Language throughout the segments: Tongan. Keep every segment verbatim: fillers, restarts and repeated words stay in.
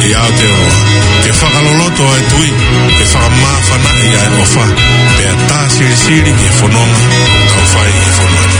ʻI Aotearoa, ke fakaloloto ʻa e tui, ke fakamāfanaʻi ʻa e ʻofa, pea tā silisili ki he fononga ʻoku tau fai ʻi he fonua ni.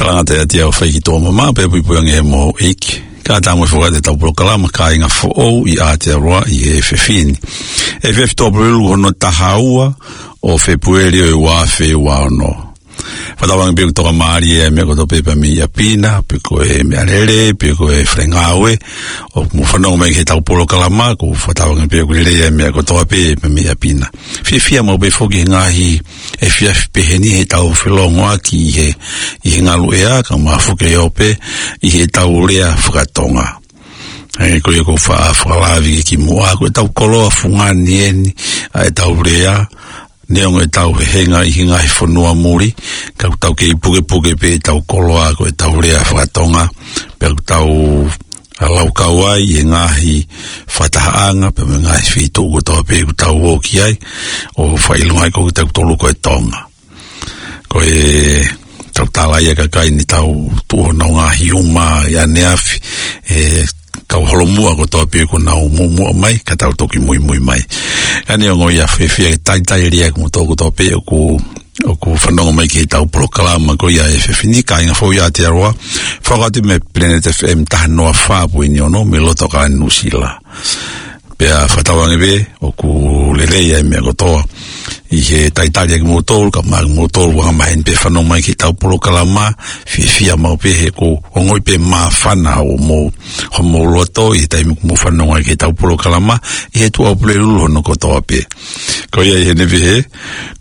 Talangata ʻiate au ʻa e fai ki tuʻa mamaʻo pea puipuiange ʻe he moʻui ʻEiki. Ka tau mo fakaʻatā ʻetau polokalama Kāinga Foʻou ʻi Aotearoa ʻi he efiafi ni. Efiafi Tuʻapulelulu hono taha ua ʻo Fēpueli ʻo e ua afe ua ono. Fakatauange pē ʻoku tokamālie ʻa e meʻa kotoa pē pea mei ʻapi na, pe ko e meʻalele, pe ko e faʻahinga ngāue, ʻoku mou fanongo mai ki heʻetau polokalama, ʻoku fakatauange pē ʻoku lelei ʻa e meʻa kotoa pē pea mei ʻapi na. Fiefia maʻu pē foki he ngaahi efiafi pehē ni heʻetau felōngoaki ʻi he, ʻi he ngaluʻea, kae ʻumaʻā foki ʻo pē ʻi heʻetau lea faka-Tonga. ʻE, ko ia ʻoku ou fa-, fakalave ki muʻa, ko ʻetau koloa fungani eni ʻa ʻetau lea, neongo ʻetau hehenga ʻi he ngaahi fonua muli, ka ʻoku tau kei pukepuke pē ʻetau koloa ko ʻetau lea faka-Tonga, pea ʻoku tau, ʻa, laukau ai ʻi he ngaahi fakatahaʻanga, pea mo e ngaahi feituʻu kotoa pē ʻoku tau ō ki ai, ʻo fakaʻilonga ai ko kitautolu ko e Tonga. Ko e tau tala ia kakai ni tau tuʻu honau ngaahi uma ʻi ʻaneafi, ʻe, kau holomuʻa kotoa pē kuo nau muʻomuʻa mai, ka tau toki muimui mai. Ka neongo ia fiefia ke talitali lelei ʻa kimoutolu kotoa pē ʻoku, ʻoku fanongo mai ki heʻetau polokalama ko ia ʻi he efiafi ni, Kāinga Foʻou ʻi Aotearoa, fakaʻosi mei Planet F M taha noa fā poini ono, mei loto ʻo Nuʻusila. Pea fakatauange pē ʻoku lelei ʻa e meʻa kotoa ʻi he talitali ʻa kimoutolu, kae ʻumaʻā kimoutolu ʻoku angamaheni pē fanongo mai ki heʻetau polokalama, fiefia maʻu pē he ʻoku ongoʻi pē māfana ʻa homou, homou loto ʻi he taimi ʻoku mou fanongo ai ki heʻetau polokalama, ʻi he Tuʻapulelulu hono kotoa pē. Ko ia ʻi heʻene pehē,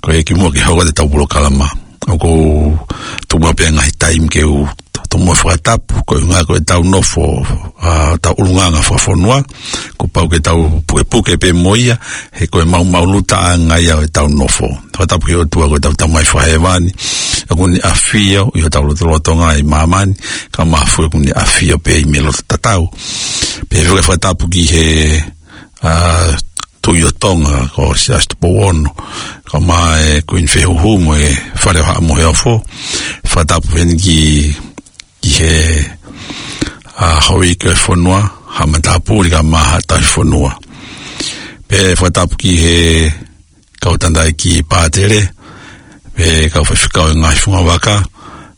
ko e kimuʻa ke hoko atu ʻetau polokalama, ʻoku ou tuku maʻu pē ngaahi taimi ke u tomuʻa fakatapu, koeʻuhi ko ʻetau nofo, ʻa, tau ʻulungaanga fakafonua, kuo pau ke tau pukepuke pē mo ia, he ko e maʻumaʻulutaʻanga ia ʻo ʻetau nofo. Fakatapu ki he ʻOtua ko ʻetau Tamai Fakahēvani, ʻoku ne ʻafio ʻi hotau lotolotonga ʻi māmani, kae ʻumaʻā foki ʻoku ne ʻafio pē ʻi he loto tatau. Pea faka-, fakatapu ki he ʻa, Tuʻi ʻo Tonga, ko Siaosi Tupou Ono, kae ʻumaʻā e Kuini Fehuhu mo e Fale ʻo Haʻa Moheofo, fakatapu heni ki, ki he, ʻa, Houʻeiki ʻo e fonua, Haʻa Matāpule kae ʻumaʻā Haʻa Tauhi Fonua. Pea fakatapu ki he kau tangataʻeiki pātele, pea kau faifekau ʻo e ngaahi fungavaka,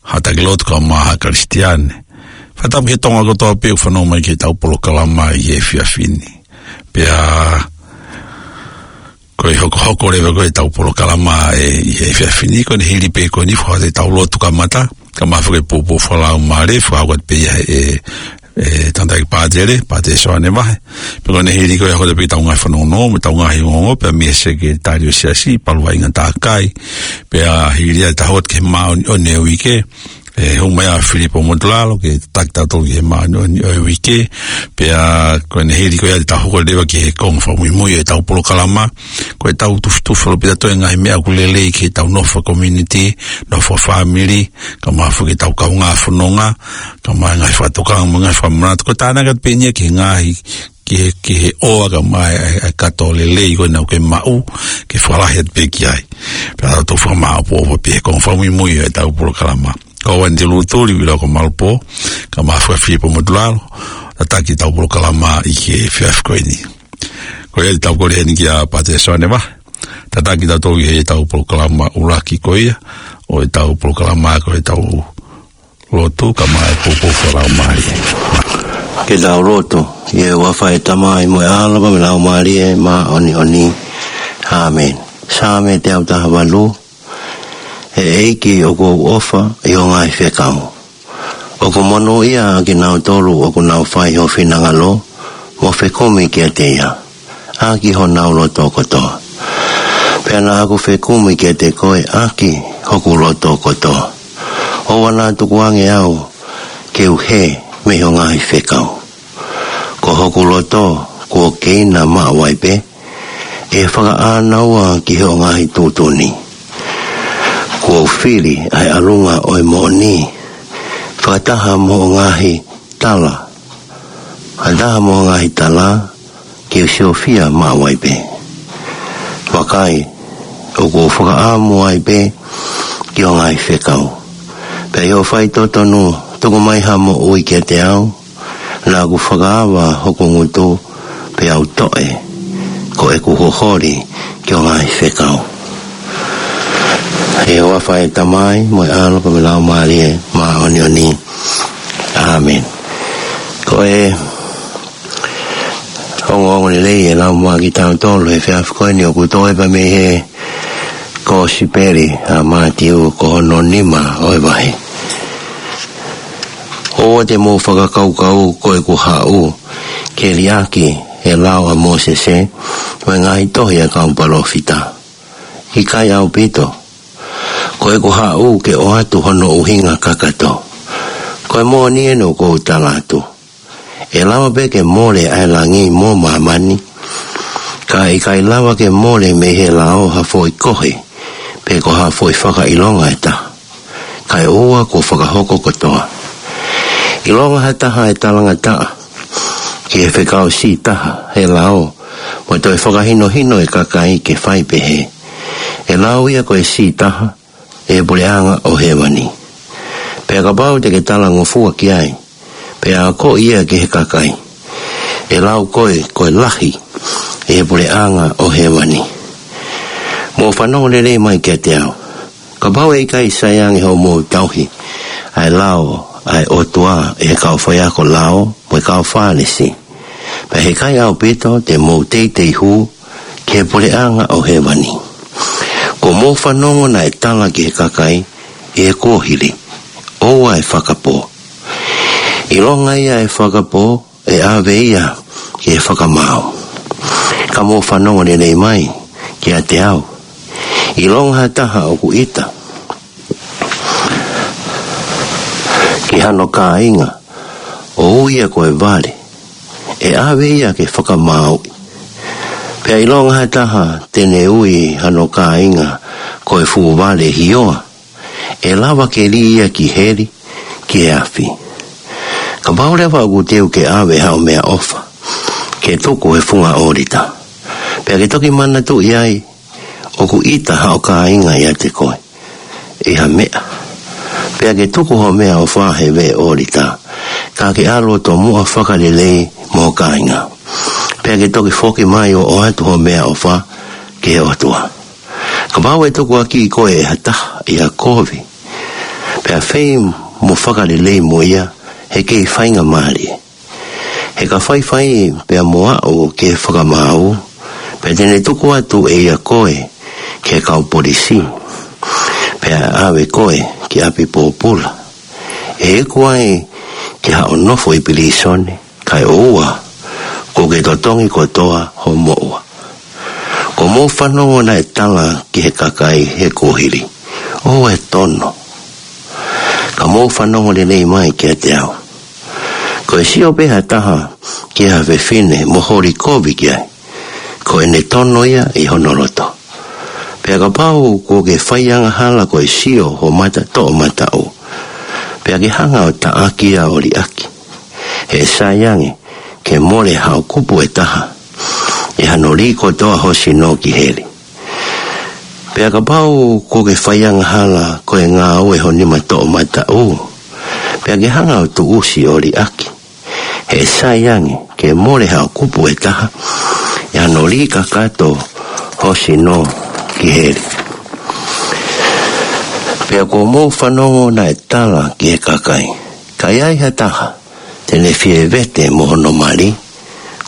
Haʻa Taki Lotu kae ʻumaʻā Haʻa Kalisitiane. Pea tapu ki he Tonga kotoa pē ʻoku fanongo mai ki heʻetau polokalama ʻi he efiafi ni. Pea ko e hokohoko leva ko ē ʻetau polokalama ʻi he efiafi ni, ko ʻene hili pē ko eni, fakahoko atu ʻetau lotu kamata, kae ʻumaʻā foki e poupou fakalaumālie, fakahoko atu pē ia ʻe, ʻe Tangataʻeiki Pātele, Pātele Soane Vahe. Pea ko ʻene hili ko ia, hoko atu pē ʻetau ngaahi fanongonongo, mo ʻetau ngaahi ongoongo, pea mei he Sekelitali ʻo e Siasi, Palu Vaʻinga Takai. Pea hili ia ʻetau hoko atu ki he māʻoniʻoni ʻo e uike, ʻe hū mai ʻa Filipo Motulalo ke tataki tautolu ki he māʻoniʻoni ʻo e uike. Pea ko ʻene hili ko ia te tau hoko leva ki he konga fakamuimui ʻo ʻetau polokalama. Ko ʻetau tufitufi ʻaupito ʻa e ngaahi meʻa ʻoku lelei ki heʻetau nofo fakakomiunitī, nofo fakafāmili, kae ʻumaʻā foki ʻetau kaungā fononga, kae ʻumaʻā e ngaahi fakatokanga mo e ngaahi fakamanatu. Ko e tānaki atu pē eni ia ki he ngaahi ki he, ki he ʻofa kae ʻumaʻā e, e, e kato lelei ko ena ʻoku ke maʻu, ke fakalahi atu pē ki ai. Pea tau fakamaʻopoʻopo pē he konga fakamuimui ʻo ʻetau polokalama. Ko au eni Telu Tuli, ʻi Loko Malupō, kae ʻumaʻā foki ʻa Filipo Motulalo, tataki ʻetau polokalama ʻi he efiafi ko eni. Ko ia te tau kole heni kia Pātele Soane Vahe, tataki tautolu ʻi heʻetau polokalama ʻuluaki ko ia ʻo ʻetau polokalama, ko ʻetau lotu kae ʻumaʻā e poupou fakalaumālie. Ke tau lotu. ʻI he huafa ʻo e Tamai mo e ʻAlo mo e Laumālie Māʻoniʻoni. ʻĀmeni. Saame teau taha valu. ʻE ʻEiki, ʻoku ou ʻofa ʻi hoʻo ngaahi fekau. ʻOku monūʻia ʻa kinautolu ʻoku nau fai ho finangalo, mo fekumi kiate ia ʻaki honau loto kotoa. Pea naʻa ku fekumi kiate koe ʻaki hoku loto kotoa. ʻOua naʻa tukuange au ke u hē mei hoʻo ngaahi fekau. Ko hoku loto kuo keina maʻu ai pē ʻe fakaʻānaua ki hoʻo ngaahi tuʻutuʻuni. Kuo u fili ʻa e ʻalunga ʻo e moʻoni fakataha mo hoʻo ngaahi tala. Fakataha mo hoʻo ngaahi tala, ke u siofia maʻu ai pē. Vakai, ʻoku ou fakaʻamu ai pē ki hoʻo ngaahi fekau. Pea ʻi hoʻo faitotonu, tuku mai ha moʻui kiate au, naʻa ku fakaava hoku ngutu, pea u toʻe ko ʻeku holi ki hoʻo ngaahi fekau. ʻI he huafa ʻo e Tamai, mo e ʻAlo, mo e Laumālie Māʻoniʻoni. ʻĀmeni. Ko e ongoongo lelei ʻe lau mai kiate kitautolu he efiafi ko eni ʻoku toe pē mei he Kosipeli ʻa Mātiu, ko hono nima ʻo e vahe. ʻOua te mou fakakaukau ko ʻeku haʻu ke liʻaki ʻa e lao ʻa Mōsese mo e ngaahi tohi ʻa e kau palōfita. ʻIkai ʻaupito. Ko ʻeku haʻu ke ʻoatu hono ʻuhinga kakato. Ko e moʻoni eni ʻoku ou tala atu. ʻE lava pē ke mole ʻa e langi mo māmani, ka ʻe ʻikai lava ke mole mei he lao ha foʻi kohe, pe ko ha foʻi fakaʻilonga ʻe taha. Kae ʻoua kuo fakahoko kotoa. ʻIlonga ha taha ʻe talangataʻa ki he fekau siʻi taha he lao, mo toe fakahinohino e kakai ke fai pehē, ʻe lau ia ko e siʻi taha ʻi he puleʻanga ʻo hēvani. Pea kapau te ke talangofua ki ai, pea akoʻi ia ki he kakai, ʻe lau koe ko e lahi ʻi he puleʻanga ʻo hēvani. Mou fanongo lelei mai kiate au. Kapau ʻe ʻikai saiange hoʻomou tauhi ʻa e lao ʻa e ʻOtua ʻe he kau faiako lao mo e kau Fālesi, pea ʻe ʻikai ʻaupito te mou teitei hū ki he puleʻanga ʻo hēvani. Kuo mou fanongo naʻe tala ki he kakai ʻi he kuohili, ʻoua ʻe fakapō. ʻIlonga ia ʻe fakapō, ʻe ʻave ia ki he fakamaau. Ka mou fanongo lelei mai kiate au. ʻIlonga ha taha ʻoku ʻita ki hano kāinga, ʻo ui ia ko e vale, ʻe ʻave ia ke fakamāuʻi. Pea ʻilonga ha taha te ne ui hano kāinga ko e fuʻu vale hioa, ʻe lava ke lī ia ki heli, ki he afi. Kapau leva ʻoku teu ke ʻave haʻo meʻaʻofa ke tuku he funga ʻōlita, pea ke toki manatuʻi ai ʻoku ʻita haʻo kāinga ʻiate koe ʻi ha meʻa, pea ke tuku hoʻo meʻaʻofa he veʻe ʻōlita, ka ke ʻalu ʻo tomuʻa fakalelei mo ho kāinga, pea ke toki foki mai ʻo ʻoatu hoʻo meʻaʻofa ki he ʻOtua. Kapau ʻe tukuakiʻi koe ʻe ha taha ʻi ha kovi, pea fei mo fakalelei mo ia, he kei faingamālie. He ka faifai pea mo aʻu ki he fakamaau, pea te ne tuku atu ʻe ia koe ki he kau polisi, pea ʻave koe ki ʻapi pōpula, ʻe iku ai ki haʻo nofo ʻi pilīsone, kae ʻoua kuo ke totongi kotoa ho moʻua. Kuo mou fanongo naʻe tala ki he kakai he kuohili, ʻoua ʻe tono. Ka mou fanongo lelei mai kiate au. Ko e sio pē ha taha ki ha fefine mo holi kovi ki ai, ko ʻene tono ia ʻi hono loto. Pea kapau kuo ke fai angahala ko e sio ho mata toʻomataʻu, pea ke hanga ʻo taʻaki ia ʻo liʻaki, he ʻe sai ange ke mole haʻo kupu ʻe taha, ʻi hano lī kotoa ho sino ki heli. Pea kapau kuo ke fai angahala ko e ngāue ho nima toʻomataʻu, pea ke hanga ʻo tuʻusi ʻo liʻaki, he ʻe sai ange ke mole haʻo kupu ʻe taha, ʻi hano lī kakato ho sino ki heli. Pea kuo mou fanongo naʻe tala ki he kakai, ka ʻi ai ha taha te ne fie vete mo hono mali,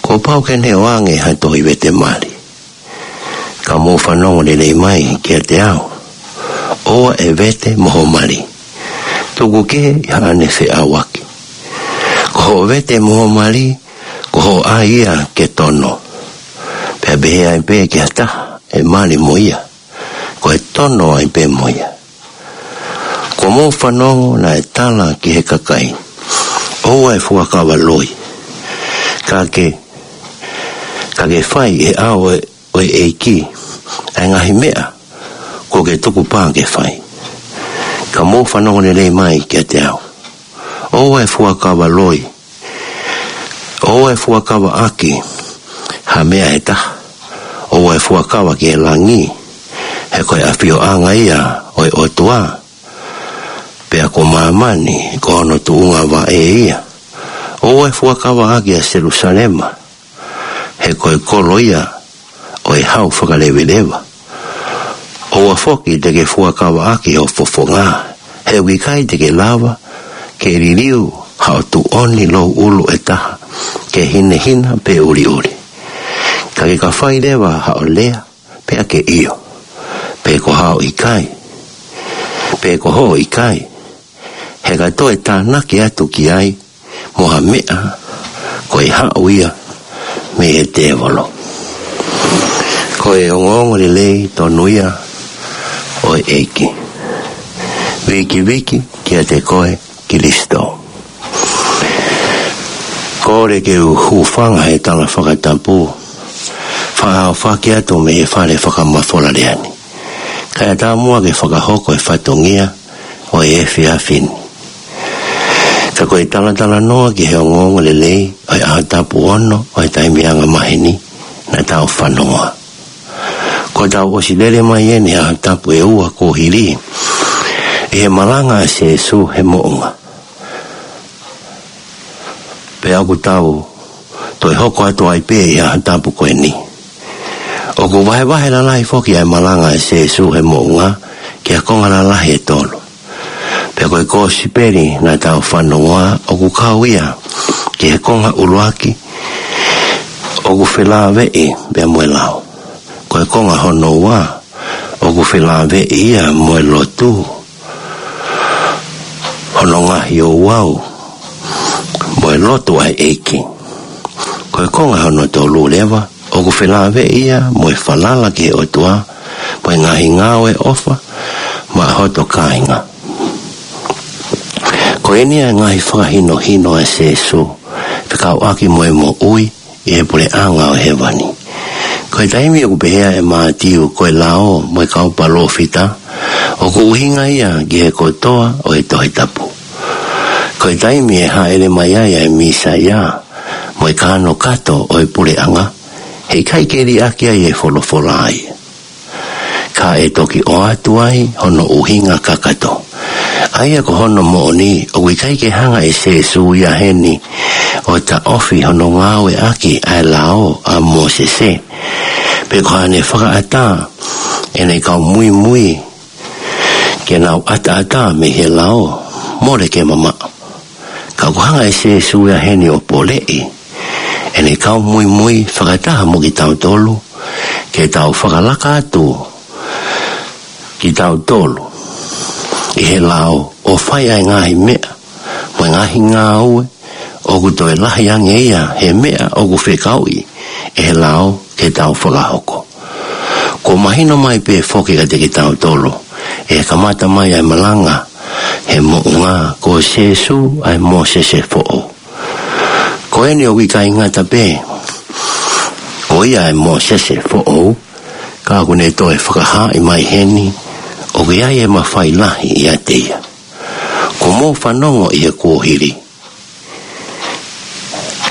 kuo pau ke ne ʻoange ha tohi vete mali. Ka mou fanongo lelei mai kiate au. ʻOua ʻe vete mo ho mali, tuku kehe ʻi haʻane feʻauaki. Ko hoʻo vete mo ho mali, ko hoʻo ʻai ia ke tono. Pea pehē ai pē ki ha taha ʻe mali mo ia, ko e tono ai pē mo ia. Kuo mou fanongo naʻe tala ki he kakai, ʻoua ʻe fuakava loi, ka ke, ka ke fai ʻe he ʻao ʻo e ʻEiki ʻa e ngaahi meʻa kuo ke tukupā ke fai. Ka mou fanongo lelei mai kiate au. ʻOua ʻe fuakava loi, ʻoua ʻe fuakavaʻaki ha meʻa ʻe taha. ʻOua ʻe fuakava ki he langi, he ko e ʻafioʻanga ia ʻo e ʻOtua, pea ko māmani ko hono tuʻunga vaʻe ia. ʻOua ʻe fuakavaʻaki ʻa Selusalema, he ko e kolo ia ʻo e hau fakaleveleva. ʻOua foki te ke fuakavaʻaki ho fofonga, he ʻoku ʻikai te ke lava ke liliu haʻo tuʻoni louʻulu ʻe taha ke hinehina pe ʻuliʻuli. Ka ke ka fai leva haʻo lea, pea ke ʻio, pe ko haʻo ʻikai, pe ko hoʻo ʻikai, he ka toe tānaki atu ki ai mo ha meʻa, ko e haʻu ia mei he tēvolo. Ko e ongoongolelei tonu ia ʻo e ʻEiki. Vikiviki kiate koe Kilisitō. Kole ke u hūfanga he tala fakatapu fakaʻaufaki atu mei he fale fakamafola lea ni, kae ʻatā muʻa ke fakahoko e fatongia ʻo e efiafi ni. Ka ko e talatalanoa ki he ongoongolelei ʻo e ʻaho tapu ono ʻo e taimi angamaheni naʻa tau fanongoa. Kuo tau ʻosi lele mai eni he ʻaho tapu ʻe ua kuo hili ʻi he malanga ʻa Sīsū he moʻunga. Pea ʻoku tau toe hoko atu ai pē ʻi he ʻaho tapu ko eni. ʻOku vahevahe lalahi foki ʻa e malanga ʻa Sīsū he moʻunga ki ha konga lalahi ʻe tolu. Pea ko e kosipeli naʻa tau fanongoa ʻoku kau ia ki he konga ʻuluaki, ʻoku felāveʻi pea mo e lao. Ko e konga hono ua, ʻoku felāveʻi ia mo e lotu, hono ngaahi ouau, mo e lotu ʻa e ʻEiki. Ko e konga hono tolu leva, ʻoku felāveʻi ia mo e falala ki he ʻOtua, mo e ngaahi ngāue ʻofa maʻa hoto kāinga. Ko eni ʻa e ngaahi fakahinohino ʻa Sīsū fekauʻaki mo e moʻui ʻi he puleʻanga ʻo hēvani. Ko e taimi ʻoku pehē ai ʻe Mātiu ko e lao mo e kau palōfita, ʻoku ʻuhinga ia ki he kotoa ʻo e Tohi Tapu. Ko e taimi ʻe hāʻele mai ai ʻa e Mīsaia mo e kanokato ʻo e puleʻanga, heʻikai ke liʻaki ai e folofola ia, ka ʻe toki ʻoatu ai hono ʻuhinga kakato. ʻA ia ko hono moʻoni, ʻoku ʻikai ke hanga ʻe Sīsū ia heni ʻo taʻofi hono ngāueʻaki ʻa e lao ʻa Mōsese, pe ko haʻane fakaʻatā ʻene kau muimui ke nau ʻataʻatā mei he lao, mole ke mamaʻo. ʻOku hanga ʻe Sēsū ia heni ʻo poleʻi ʻene kau muimui fakataha mo kitautolu, ke tau fakalaka atu kitautolu ʻi he lao ʻo fai ʻa e ngaahi meʻa mo e ngaahi ngāue ʻoku toe lahi ange ia he meʻa ʻoku fekauʻi ʻe he lao ke tau fakahoko. Kuo mahino mai pē foki kiate kitautolu ʻi he kamata mai ʻa e malanga he moʻunga, ko Sēsū ʻa e Mōsese foʻou. Ko eni ʻoku ʻikai ngata pē ko ia ʻa e Mōsese foʻou, ka ʻoku ne toe fakahaaʻi mai heni ʻoku ʻi ai e mafai lahi ʻiate ia. Kuo mou fanongo ʻi he kuohili,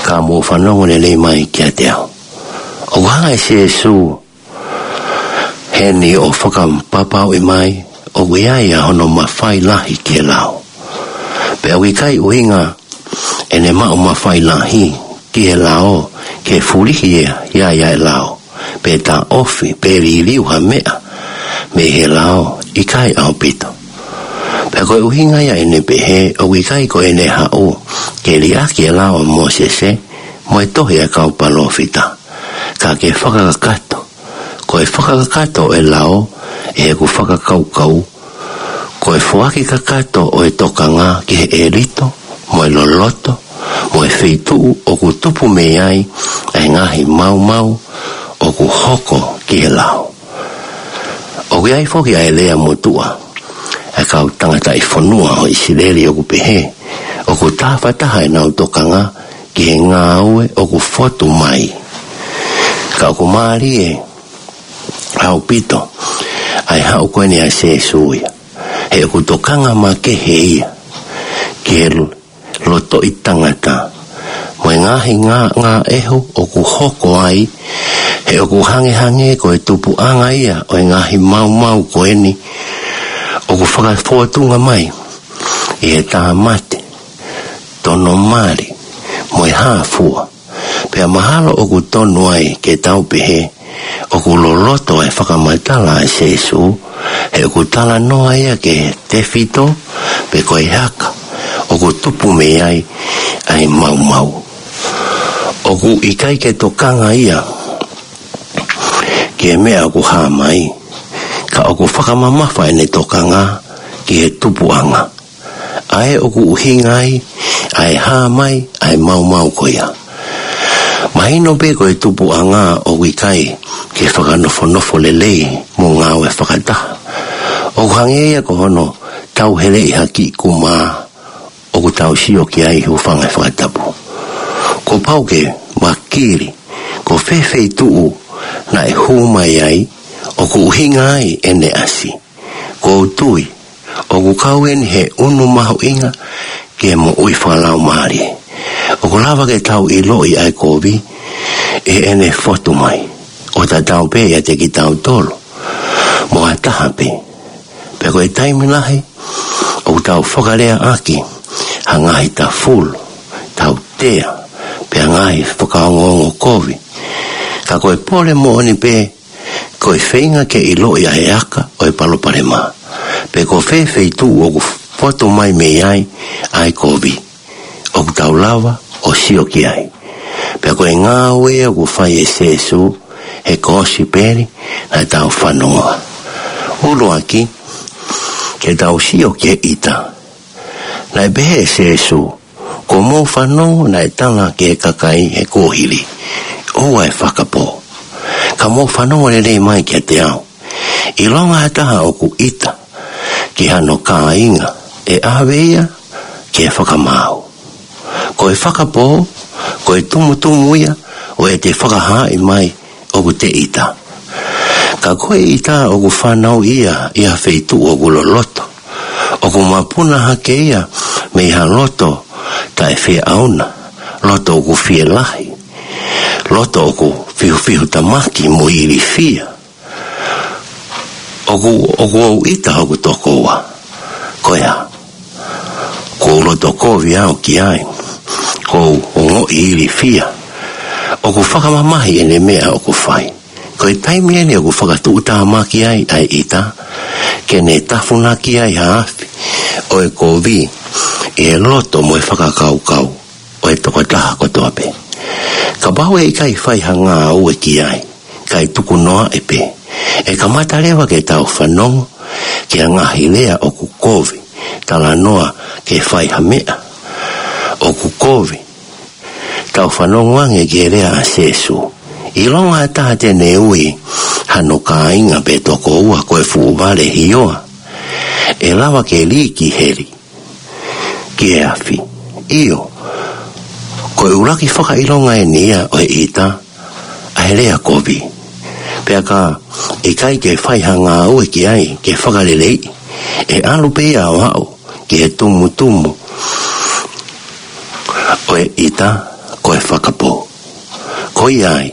ka mou fanongo lelei mai kiate au. ʻOku hanga ʻe Sēsū heni ʻo fakapapauʻi mai ʻoku ʻi ai ʻa hono mafai lahi ki he lao. Pea ʻoku ʻikai ʻuhinga ʻene maʻu mafai lahi ki he lao ke fulihi ia ʻi ai ʻa e lao, pe taʻofi, pe liliu ha meʻa mei he lao, ʻikai ʻaupito. Pea ko e ʻuhinga ia ʻene pehē ʻoku ʻikai ko ʻene haʻu ke liʻaki e lao ʻa Mōsese mo e tohi ʻa e kau palōfita, ka ke fakakakato. Ko e fakakakato ʻo e lao ʻe heʻeku fakakaukau, ko e foaki kakato ʻo e tokanga ki he ʻelito mo e loloto mo e feituʻu ʻoku tupu mei ai ʻa e ngaahi maumau ʻoku hoko ki he lao. ʻOku ʻi ai foki ʻa e lea motuʻa ʻa e kau tangataʻi fonua ʻo ʻIsileli ʻoku pehē, ʻoku tāfataha ʻenau tokanga ki he ngāue ʻoku fotu mai. Ka ʻoku mālie ʻaupito ʻa e haʻu ko eni ʻa Sēsū ia, he ʻoku tokanga makehe ia ki he lotoʻi tangata mo e ngaahi ngā, ngāʻehu ʻoku hoko ai, he ʻoku hangehangē ko e tupuʻanga ia ʻo e ngaahi maumau ko eni ʻoku fakafōtunga mai ʻi he tāmate, tono mali, mo e hā fua. Pea mahalo ʻoku tonu ai ke tau pehē ʻoku loloto e fakamatala ʻa Sēsū, he ʻoku talanoa ia ki he tefito pe ko e haka ʻoku tupu mei ai ʻa e maumau. ʻOku ʻikai ke tokanga ia ki he meʻa ʻoku hā mai, ka ʻoku fakamamafa ʻene tokanga ki he tupuʻanga, ʻa ē ʻoku ʻuhinga ai ʻa e hā mai ʻa e maumau ko ia. Mahino pē ko e tupuʻanga ʻoku ʻikai ke fakanofonofo lelei mo ngāue fakataha. ʻOku hangē ia ko hono tauheleʻi ha kiʻi kumā ʻoku tau sio ki ai, hūfanga he fakatapu. Kuo pau ke vakili ko fē feituʻu naʻe hū mai ai ʻoku ʻuhinga ai ʻene ʻasi. ʻOku ou tui ʻoku kau eni he ʻunu mahuʻinga ki he moʻui fakalaumālie. ʻOku lava ke tau ʻiloʻi ʻa e kovi ʻi heʻene fotu mai, ʻo tatau pē ʻiate kitautolu mo ha taha pē. Pea ko e taimi lahi ʻoku tau fakaleaʻaki ha ngaahi tafulu, tautea, pea ngaahi fakaongoongo kovi. Ka ko e pole moʻoni pē, ko e feinga ke ʻiloʻi ʻa e aka ʻo e palopalema, pe ko fē feituʻu ʻoku fotu mai mei ai ʻa e kovi, ʻoku tau lava ʻo sio ki ai. Pea ko e ngāue ʻoku fai ʻe Sēsū he kosipeli naʻa tau fanongoa. ʻUluaki, ke tau sio ki he ʻita. Naʻe pehē ʻe Sēsū, kuo mou fanongo naʻe tala ki he kakai he kuohili, ʻoua ʻe fakapō. Ka mou fanongo lelei mai kiate au. ʻIlonga ha taha ʻoku ʻita ki hano kāinga, ʻe ʻave ia ki he fakamaau. Ko e fakapō, ko e tumutumu ia ʻo ʻete fakahaaʻi mai ʻoku te ʻita. Ka ko e ʻita ʻoku fanauʻi ia ʻi ha feituʻu ʻoku loloto, ʻoku mapuna hake ia mei ha loto taʻefieʻauna, loto ʻoku fielahi, loto ʻoku fihufihutamaki mo ilifia. ʻOku, ʻoku ou ʻita hoku tokoua. Ko ia, ʻoku ou loto kovi au ki ai, ʻoku ou ongoʻi ilifia. ʻOku fakamamahi ʻene meʻa ʻoku fai. Ko e taimi eni ʻoku fakatuʻutāmaki ai ʻa e ʻita, ke ne tafunaki ai ha afi, ʻo e kovi ʻi he loto mo e fakakaukau ʻo e tokotaha kotoa pē. Kapau ʻe ʻikai fai ha ngāue ki ai, kae tuku noaʻi pē, ʻe kamata leva ke tau fanongo ki he ngaahi lea ʻoku kovi, talanoa ke fai ha meʻa ʻoku kovi, tau fanongo ange ki he lea ʻa Sēsū: ʻIlonga ha taha te ne ui hano kāinga pe tokoua ko e fuʻu vale hioa, ʻe lava ke lī ki heli, ki he afi. ʻIo, ko e ʻuluaki fakaʻilonga eni ia ʻo e ʻita, ʻa e lea kovi. Pea ka ʻikai ke fai ha ngāue ki ai ke fakaleleiʻi, ʻe ʻalu pē ia ʻo aʻu ki he tumutumu ʻo e ʻita, ko e fakapō. Ko ia ai,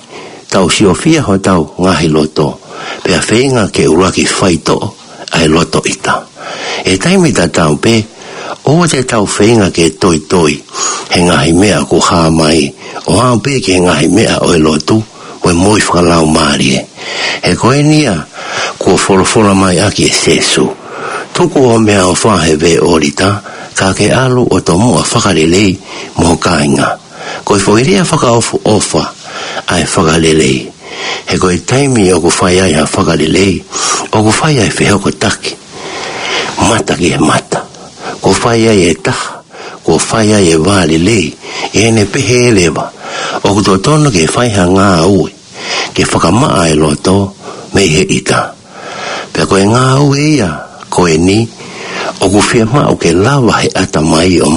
tau siofia hotau ngaahi loto, pea feinga ke ʻuluaki faitoʻo ʻa e loto ʻita. ʻI he taimi tatau pē, ʻoua te tau feinga ke toitoi he ngaahi meʻa ʻoku hā mai, ʻo aʻu pē ki he ngaahi meʻa ʻo e lotu mo e moʻui fakalaumālie. He ko eni ia kuo folofola mai ʻaki ʻe Sēsū: Tuku hoʻo meʻaʻofa he veʻe ʻōlita, ka ke ʻalu ʻo tomuʻa fakalelei mo ho kāinga. Ko e foʻi lea fakaʻofoʻofa ʻa e fakalelei. He ko e taimi ʻoku fai ai ha fakalelei, ʻoku fai ai e fehokotaki mata ki he mata. Kuo fai ai e taha, kuo fai ai e vā lelei, ʻi heʻene pehē leva, ʻoku totonu ke fai ha ngāue ke fakamaʻa e loto mei he ʻita. Pea ko e ngāue ia ko eni ʻoku fiemaʻu ke lava he ʻatamai ʻo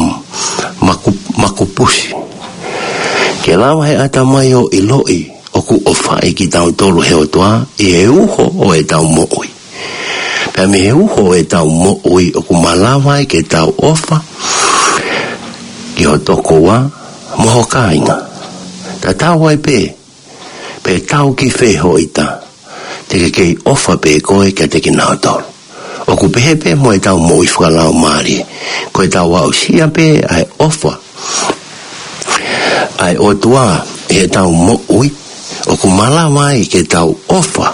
maku-, makupusi. Ke lava he ʻatamai ʻo ʻiloʻi ʻoku ʻofaʻi kitautolu ʻe he ʻOtua ʻi he uho ʻo ʻetau moʻui. Pea mei he uho ʻo ʻetau moʻui ʻoku malava ai ke tau ʻofa ki ho tokoua mo ho kāinga. Tatau ai pē pe tau ki fē ho ʻita, te ke kei ʻofa pē koe kiate kinautolu. ʻOku pehē pē mo ʻetau moʻui fakalaumālie. Ko ʻetau aʻusia pē ʻa e ʻofa ʻa e ʻOtua ʻi heʻetau moʻui, ʻoku malava ai ke tau ʻofa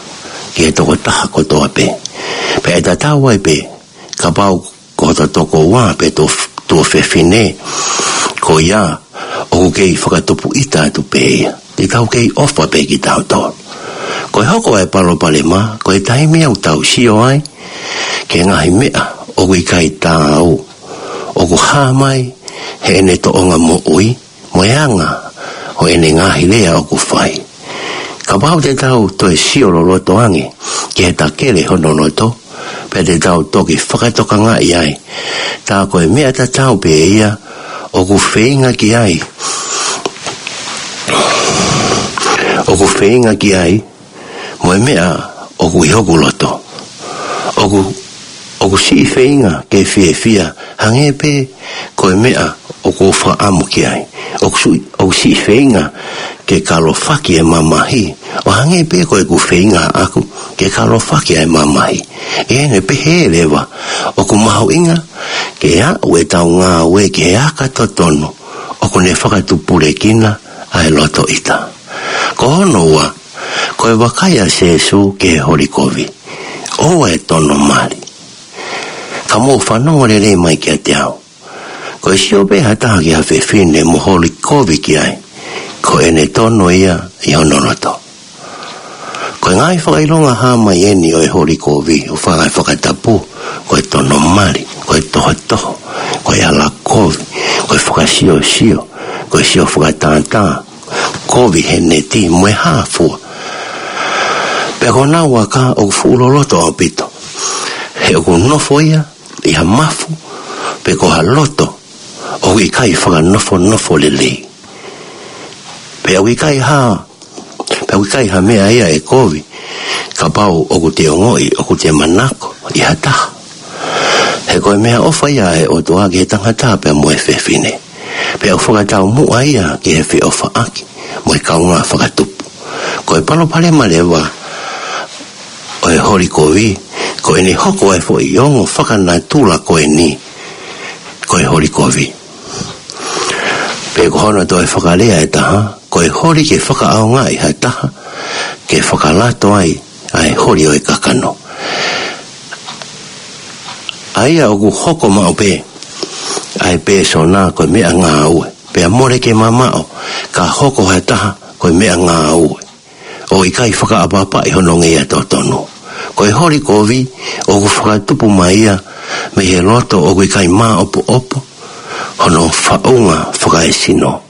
ki he tokotaha kotoa pē. Pea ʻe tatau ai pē kapau ko hoto tokoua pe tuo, tuofefine ko ia ʻoku kei fakatupu ʻita atu pē ia, te tau kei ʻofa pē kitautolu. Ko e hoko ʻa e palopalema, ko e taimi ʻoku tau sio ai ki he ngaahi meʻa ʻoku ʻikai taau ʻoku hā mai heʻene tōʻonga moʻui mo e anga ʻo ʻene ngaahi lea ʻoku fai. Kapau te tau toe sio loloto ange ki he takele hono loto, pea te tau toki fakatokangaʻi ai, tā ko e meʻa tatau pē ia ʻoku feinga ki ai, ʻoku feinga ki ai, mo e meʻa ʻoku ʻi hoku loto. ʻOku, ʻoku siʻi feinga ke fiefia, hangē pē ko e meʻa ʻoku ou fakaʻamu ki ai. ʻOku siʻi, ʻoku siʻi feinga ke kalofaki e mamahi, ʻo hangē pē ko ʻeku feinga ʻaʻaku ke kalofaki ʻa e mamahi. ʻI heʻene pehē leva, ʻoku mahuʻinga ke aʻu ʻetau ngāue ki he aka totonu ʻoku ne fakatupulekina ʻa e loto ʻita. Ko hono ua, ko e vakai ʻa Sēsū ki he holi kovi. ʻOua ʻe tono mali. Ka mou fanongo lelei mai kiate au. Ko e sio pē ha taha ki ha fefine mo holi kovi ki ai, ko ʻene tono ia ʻi hono loto. Ko e ngaahi fakaʻilonga hā mai eni ʻo e holi kovi, ʻo fanga fakatapu, ko e tono mali, ko e tohotoho, ko e ʻala kovi, ko e fakasiosio, ko e sio fakatātā, kovi he neti mo e hā fua. Pea ko honau aka ʻoku fuʻu loloto ʻaupito. He ʻoku nofo ia ʻi ha mafu, pe ko ha loto ʻoku ʻikai fakanofonofo lelei. Pea ʻoku ʻikai ha, pea ʻoku ʻikai ha meʻa ia ʻe kovi kapau ʻoku te ongoʻi ʻoku te manako ʻi ha taha. He ko e meʻaʻofa ia ʻa e ʻOtua ki he tangata pea mo e fefine. Pea ʻoku fakataumuʻa ia ki he feʻofaʻaki mo e kaungā fakatupu. Ko e palopalema leva ʻo e holi kovi, ko ʻene hoko ʻa e foʻi ongo fakanatula ko eni, ko e holi kovi. Pe ko hono toe fakalea ʻe taha, ko e holi ke fakaʻaongaʻi ha taha ke fakalato ai ʻa e holi ʻo e kakano. ʻA ia ʻoku hoko maʻu pē ʻa e pēsona ko e meʻangāue, pea mole ke mamaʻo ka hoko ha taha ko e meʻangāue, ʻo ʻikai fakaʻapaʻapaʻi hono ngeia totonu. Ko e holi kovi ʻoku fakatupu mai ia mei he loto ʻoku ʻikai māʻopoʻopo hono faʻunga fakaesino.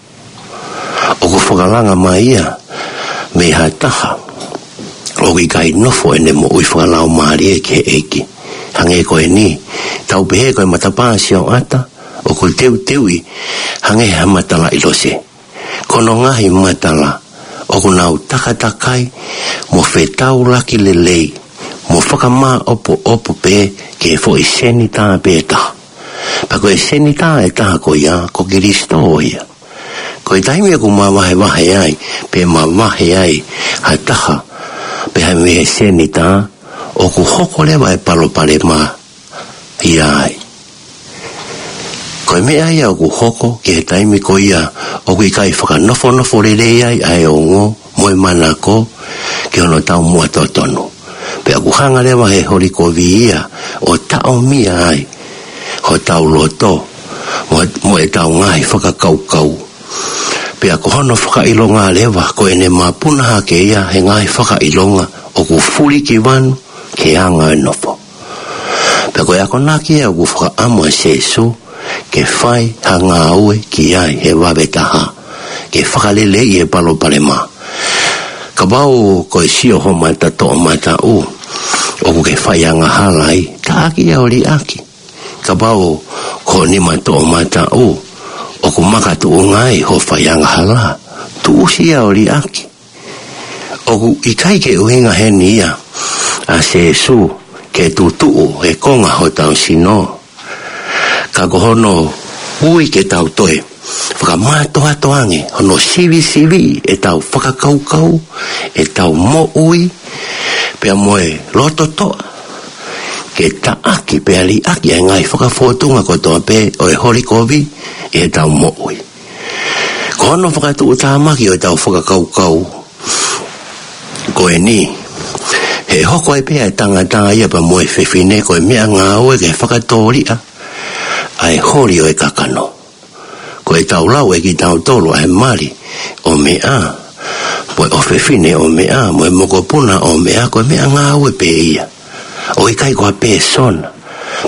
ʻOku fakalanga mai ia mei ha taha ʻoku ʻikai nofo ʻene moʻui fakalaumālie ki he ʻEiki. Hangē ko eni, tau pehē ko e matapā sioʻata ʻoku teuteuʻi hangē ha matalaʻi lose. Ko hono ngaahi matala ʻoku nau takatakai mo fetaulaki lelei mo fakamāʻopoʻopo pē ki he foʻi senitā pē taha. Pea ko e senitā ʻe taha ko ia, ko Kilisito ia. Ko e taimi ʻoku mavahevahe ai, pe mavahe ai ha taha, pe ha mei he senitā, ʻoku hoko leva e palopalema ia ai. Ko e meʻa ia ʻoku hoko ki he taimi ko ia ʻoku ʻikai fakanofonofo lelei ai ʻa e ongo mo e manako ki hono taumuʻa totonu. Pea ʻoku hanga leva he holi kovi ia ʻo taʻomia ai hotau loto mo, mo ʻetau ngaahi fakakaukau. Pea ko hono fakaʻilonga leva ko ʻene mapuna hake ia he ngaahi fakaʻilonga ʻoku fulikivanu ki he anga e nofo. Pea ko e akonaki ia ʻoku fakaʻamu ʻa Sēsū ke fai ha ngāue ki ai he vave taha, ke fakaleleiʻi e palopalema. Kapau ko e sio ho mata toʻomataʻu ʻoku ke fai angahala ai, taʻaki ia ʻo liʻaki. Kapau ko ho nima toʻomataʻu ʻoku makatuʻunga ai hoʻo fai angahala, tuʻusi ia ʻo liʻaki. ʻOku ʻikai ke ʻuhinga heni ia ʻa Sēsū ke tutuʻu e konga hotau sino. Ka ko hono ui ke tau toe fakamātoato ange hono sivisiviʻi ʻetau fakakaukau, ʻetau moʻui, pea mo e lototoʻa, ke taʻaki pea liʻaki ʻa e ngaahi fakafōtunga kotoa pē ʻo e holi kovi ʻi heʻetau moʻui. Ko hono fakatuʻutāmaki ʻo ʻetau fakakaukau ko eni, he hoko ai pē ʻa e tangata ia pea mo e fefine ko e meʻangāue ke fakatōliʻa ʻa e holi ʻo e kakano. Ko ʻetau lau ʻe kitautolu ʻa e mali ʻo meʻa, mo e ʻofefine ʻo meʻa, mo e mokopuna ʻo meʻa, ko e meʻangāue pē ia. ʻOku ʻikai ko ha pēsona.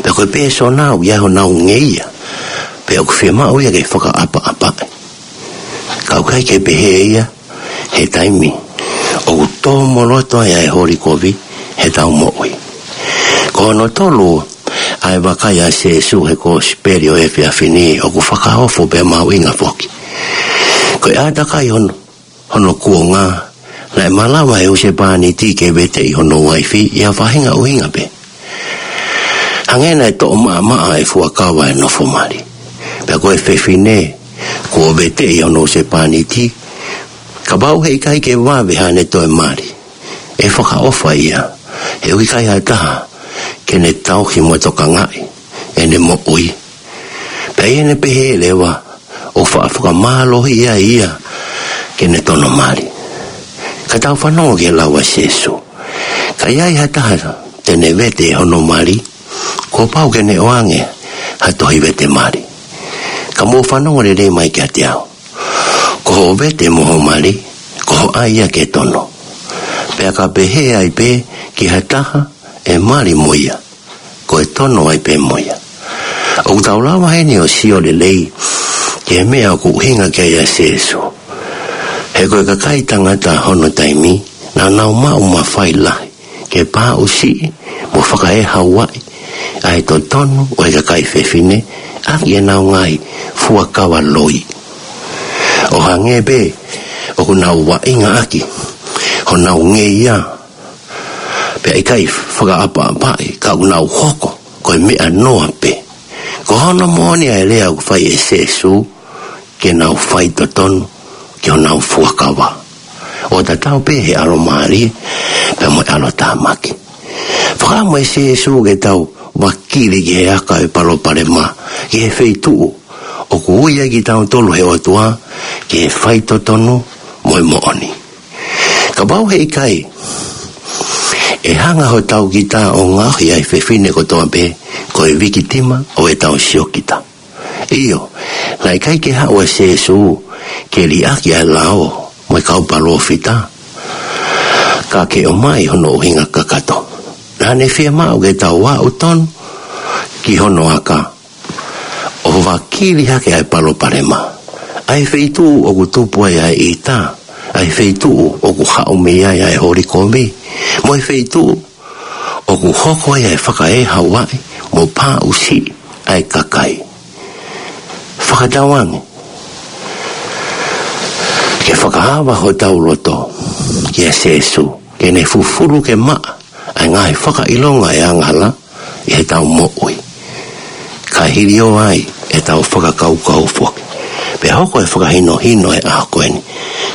Pea ko e pēsona ʻoku ʻi ai honau ngeia, pea ʻoku fiemaʻu ia ke fakaʻapaʻapaʻi. Ka ʻoku ʻikai ke pehē ia he taimi ʻoku tōmoloto ai ʻa e holi kovi heʻetau moʻui. Ko hono tolu ʻa e vakai ʻa Sēsū he Kosipeli ʻo e efiafi ni ʻoku fakaofo pea mahuʻinga foki. Ko e ʻātakai hono hono kuonga, naʻe malava ʻe he husepāniti ke veteʻi hono uaifi ʻi ha faʻahinga ʻuhinga pē. Hangē naʻe toʻo maʻamaʻa e fuakava e nofo mali. Pea ko e fefine kuo veteʻi hono husepāniti, kapau heʻikai ke vave haʻane toe mali, ʻe fakaʻofa ia, he ʻoku ʻikai ha taha ke ne tauhi mo tokangaʻi ʻene moʻui. Pea ʻi heʻene pehē leva, ʻoku faʻa fakamālohiʻi ai ia ke ne tono mali. Ka tau fanongo ki he lau ʻa Sēsū. Ka ʻi ai ha taha te ne vete hono mali, kuo pau ke ne ʻoange ha tohi vete mali. Ka mou fanongo lelei mai kiate au. Ko hoʻo vete mo hoʻo mali, ko hoʻo ʻai ia ke tono. Pea ka pehē ai pē ki ha taha ʻe mali mo ia, ko e tono ai pē mo ia. ʻOku tau lava heni ʻo sio lelei ki he meʻa ʻoku ʻuhinga ki ai ʻa Sēsū. He ko e kakai tangata hono taimi, naʻa nau maʻu mafai lahi ke pāʻusiʻi mo fakaehauaʻi ʻa e totonu ʻo e kakai fefine ʻaki ʻenau ngaahi fuakava loi. ʻO hangē pē ʻoku nau vaʻinga ʻaki honau ngeia, pea ʻikai fakaʻapaʻapaʻi ka ʻoku nau hoko ko e meʻa noa pē. Ko hono moʻoni ʻa e lea ʻoku fai ʻe Sēsū, ke nau fai totonu ki honau fuakava, ʻo tatau pē he ʻalomālie pea mo e ʻalotāmaki. Fakaʻamu ʻe Sēsū ke tau vakili ki he aka e palopalema, ki he feituʻu ʻoku ui ai kitautolu he ʻOtua ki he faitotonu mo e moʻoni. Kapau heʻikai ʻE hanga hotau kita ʻo ngaohi ʻa e fefine kotoa pē ko e vikitima ʻo ʻetau siokita. ʻIo, naʻe ʻikai ke haʻu ʻa Sēsū ke liʻaki ʻa e lao mo e kau palōfita, ka ke ʻomai hono ʻuhinga kakato. Naʻa ne fiemaʻu ke tau aʻu tonu ki hono aka ʻo vakili hake ʻa e palopalema, ʻa e feituʻu ʻoku tupu ai ʻa e ʻita, ʻa e feituʻu ʻoku haʻu mei ai ʻa e holi kovi, mo e feituʻu ʻoku hoko ai ʻa e fakaʻehauaʻi mo paʻusiʻi ʻa e kakai. Fakatauange ke fakaava hotau loto kia Sēsū, ke ne fufulu ke maʻa ʻa e ngaahi fakaʻilonga ʻo e angahala ʻi heʻetau moʻui, kae hiliō ai ʻetau fakakaukau foki. Pea hoko e fakahinohino ʻo e ʻaho ko eni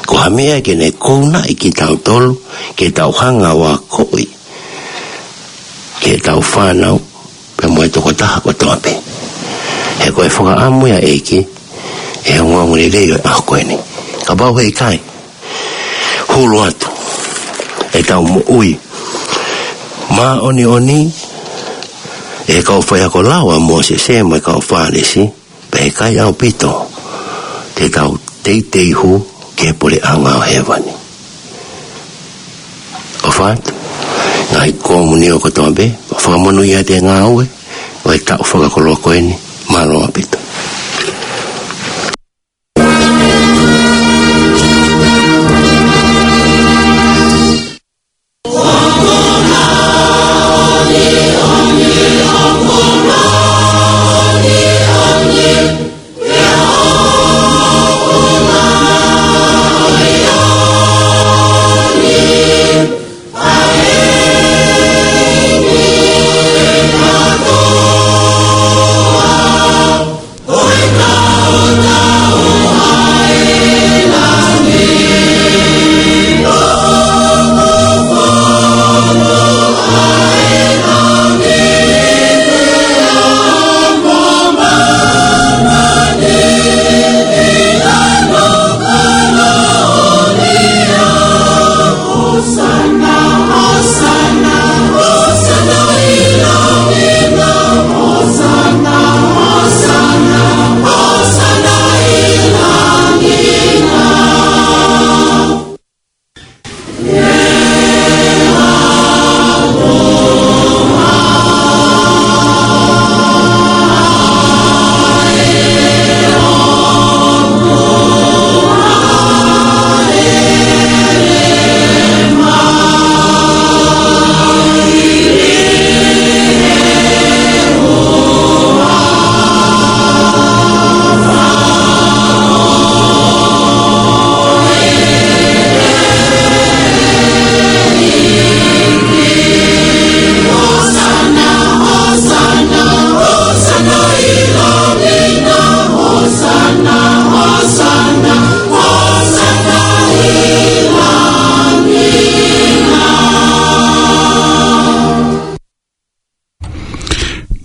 ko ha meʻa ke ne kounaʻi kitautolu ke tau hanga ʻo akoʻi ki heʻetau fānau pea mo e tokotaha kotoa pē. He ko e fakaʻamu ia ʻa e ʻEiki ʻi he ongoongolelei ʻo e ʻaho ko eni. Kapau he ʻikai, hulu atu ʻetau moʻui māʻoniʻoni ʻe he kau faiako lao ʻa Mōsese mo e kau Fālesi, pea ʻe ʻikai ʻaupito te tau teitei hū ki he puleʻanga ʻo hēvani. ʻOfa atu, ngaahi komunio kotoa pē, ʻo fakamonūʻia ʻa e ngāue ʻo e taʻu fakakoloa ko eni. Mālō ʻaupito.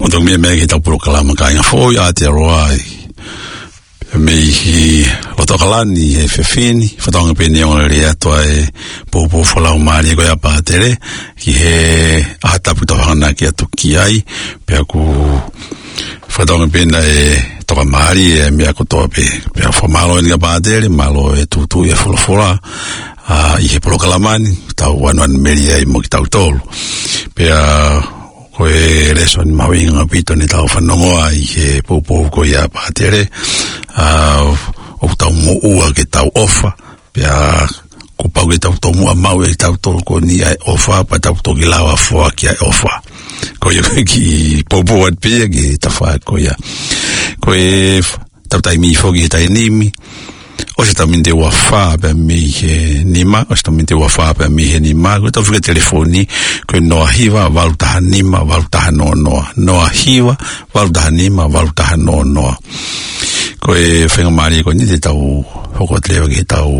ʻO tau meʻa mai ki heʻetau polokalama Kāinga Foʻou ʻi Aotearoa, mei he loto ʻAokalani he efiafi ni, fakatauange pē naʻe ongoongolelei atu ʻa e poupou fakalaumālie ko ia ʻa Pātele, ki he ʻaho tapu ʻoku tau hanganaki atu ki ai, pea ʻoku fakatauange pē naʻe tokamālie ʻa e meʻa kotoa pē. Pea fakamālō eni kia Pātele, mālō e tuʻutuʻuni ʻa e folofola, ʻa, ʻi he polokalama ni, tau ʻanuʻanumelie ai mo kitautolu. Pea ko e lēsoni mahuʻinga ʻaupito naʻa tau fanongo ai he poupou ko ia ʻa Pātele, ʻa, ʻoku tau moʻua ke tau ʻofa, pea kuo pau ke tau tomuʻa maʻu ʻe kitautolu ko eni ʻa e ʻofa, pea tau toki lava foaki ʻa e ʻofa. Ko ia ko e kiʻi poupou atu pē ia ki he tafaʻaki ko ia. Ko e f-, ʻetau taimi foki he taimi ni, ʻosi ʻetau miniti ʻe ua fā pea mei he nima, ʻosi ʻetau miniti ʻe ua fā pea mei he nima, ko ʻetau fika telefoni, ko e noa hiva valu taha nima valu taha noa noa, noa hiva valu taha nima valu taha noa noa. Ko e faingamālie ko eni te tau hoko atu leva ki heʻetau,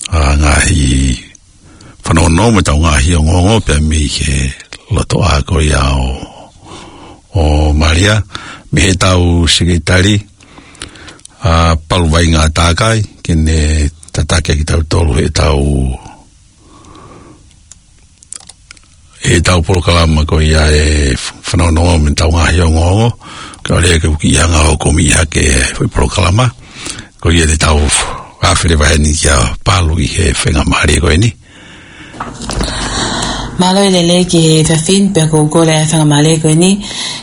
ʻa, ngaahi fanongonongo mo ʻetau ngaahi ongoongo pea mei he lotoʻā ko ia ʻo, ʻo Malia, mei heʻetau sekelitali, ʻa, Palu Vainga Takai, ke ne tataki kitautolu heʻetau ʻetau polokalama ko ia e fanongonongo mo ʻetau ngaahi ongoongo. Kae ʻoua ke u kiʻi hanga ʻo komiʻi hake e foʻi polokalama. Ko ia te tau afele vaheni kia Palu ʻi he faingamālie ko eni. Mālō e lelei ki he efiafi ni, pea ʻoku ou kole ʻa e faingamālie ko eni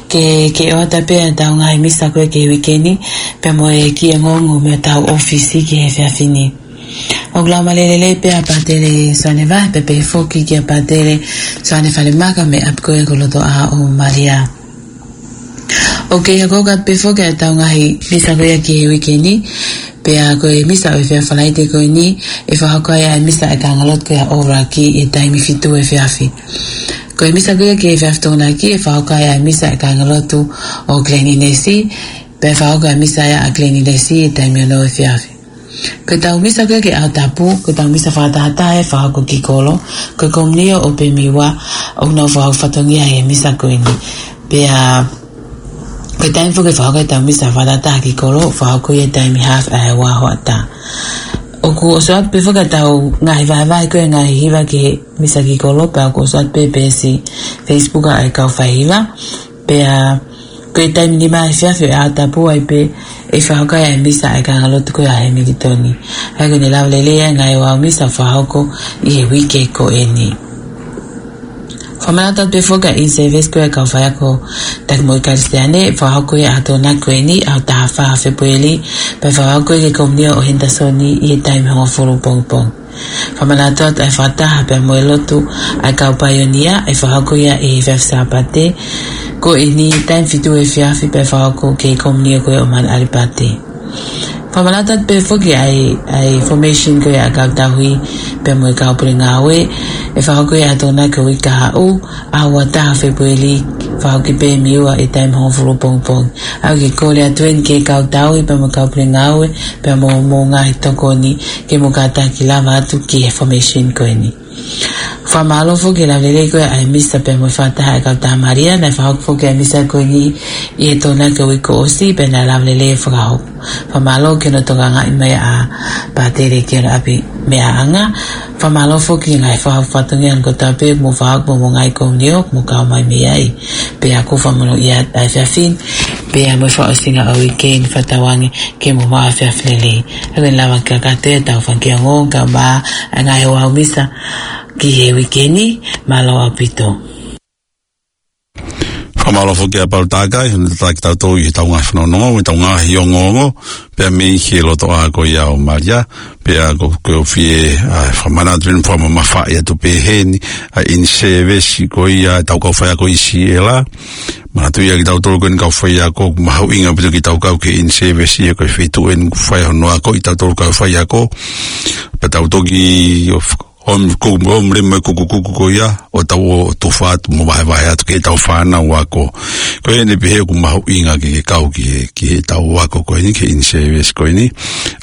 ke, ke ʻoatu pē ʻetau ngaahi misa ko ē ki he uike ni, pea mo e kiʻi ongoongo mei hotau ʻōfisi ki he efiafi ni. ʻOku lau mālie lelei pē ʻa Pātele Soane Vahe, pea pehē foki kia Pātele Soane Falemaka mei he ʻapi ko ē ko Lotoʻā ʻo Malia. ʻOku kei hoko atu pē foki ʻetau ngaahi misa ko ia ki he uike ni, pea ko e misa ʻo e efiafi Falaite ko eni, ʻe fakahoko ai ʻa e misa ʻa e kāingalotu ko ia ʻo Ōraki ʻi he taimi fitu efiafi. Ko e misa ko ia ki he efiafi Tokonaki, ʻe fakahoko ai ʻa e misa ʻa e kāingalotu ʻo Glen Innes, pea ʻe fakahoko ʻa e misa ia ʻa Glen Innes ʻi he taimi ono efiafi. Ko ʻetau misa ko ia ki he ʻaho tapu, ko ʻetau misa fakatahataha ʻe fakahoko ki kolo, ko e komiunio ʻo Pemiua, ʻoku nau fakahoko fatongia he misa ko eni. Pea ko e taimi foki ʻe fakahoko ai ʻetau misa fakatahataha ki kolo, ʻe fakahoko ia he taimi haafe ʻa e ua hoʻatā. ʻOku ʻoso atu pē foki ʻetau ngaahi vahevahe ko ia e ngaahi hiva ki he misa ki kolo, pea ʻoku ʻoso atu pē peesi Facebook ʻa e kau faihiva. Pea ko e taimi nima efiafi ʻo e ʻaho tapu ai pē ʻe fakahoko ai ʻa e misa ʻa e kāingalotu ko ia ʻa Hemilitoni. ʻA ia ko ʻene lava lelei ʻa e ngaahi ouau misa ʻe fakahoko ʻi he uike ko eni. Fakamanatu atu pē foki ʻa e in-service ko ia e kau faiako taki moʻui Kalisitiane, ʻe fakahoko ia he ʻaho Tokonaki ko eni, ʻaho taha fā Fēpueli, pea ʻe fakahoko ia ki he komiunio ʻo Henderson ʻi he taimi hongofulu pongipongi. Fakamanatu atu ʻa e fakataha pea mo e lotu ʻa e kau paionia, ʻe fakahoko ia ʻi he efiafi Sāpate ko eni taimi fitu efiafi, pea ʻe fakahoko ki he komiunio ko ia ʻo Manu ʻAlipate. Fakamanatu atu pē foki ʻa e, ʻa e formation ko ia ʻa e kau tauhi pea mo e kau pule ngāue, ʻe fakahoko ia he ʻaho Tokonaki ko e uike kahaʻu, ʻaho ua taha Fēpueli, fakahoko ʻi Pemiua ʻi he taimi hongofulu pongipongi. ʻOku ou kole atu eni ki he kau tauhi pea mo e kau pule ngāue, pea mo, mo e ngaahi tokoni, ke mou kātaki lava atu ki he formation ko eni. Fakamālō foki e lava lelei ko ia ʻa e misa pea mo e fakataha ʻa e kau tamaria, naʻe fakahoko foki ʻa e misa ko eni ʻi he Tokonaki uike kuo ʻosi, pea naʻe lava lelei e fakahoko. Fakamālō ki hono tokangaʻi mai ʻa Pātele ki hono ʻapi meʻaʻanga. Fakamālō foki ki he ngaahi fakahoko fatongia ni kotoa pē, mo e fakahoko mo e ngaahi komiunio, mo e kau mai mei ai. Pea ʻoku ou fakamolemole atu ʻa e efiafi ni, pea mo e fakaʻosinga ʻo e uike ni, fakatauange ke mou maʻu ha efiafi lelei. ʻOku ou lava ke kakato ʻetau fanga kiʻi ongoongo kae ʻumaʻā ʻa e ngaahi ouau misa ki he uike ni, mālō ʻaupito. Fakamālō foki ʻa Palu Takai, hono tataki kitautolu ʻi heʻetau ngaahi fanongonongo, ʻetau ngaahi ongoongo, pea mei he Lotoʻā ko ia ʻo Malia, pea ʻoku ou, ʻoku ou fie, ʻa, fakamanatu pē mo fakamamafaʻi atu pē heni, ʻa e in-service ko ia ʻetau kau faiako ʻi Siela. Manatuʻi ʻa kitautolu ko eni kau faiako, ʻoku mahuʻinga ʻaupito ke tau kau ki he in-service ia ko e feituʻu eni ʻoku fai hono ako ʻa kitautolu kau faiako. Pea tau toki ʻo f-, ʻo m-, ko, ʻo m-, lema e kukukuku ko ia, ʻo tau ō ʻo tufa atu mo vahevahe atu ki heʻetau fānau ako. Ko eni pē he ʻoku mahuʻinga ke, ke kau ki he, ki heʻetau ako ko eni, ki he in-service ko eni.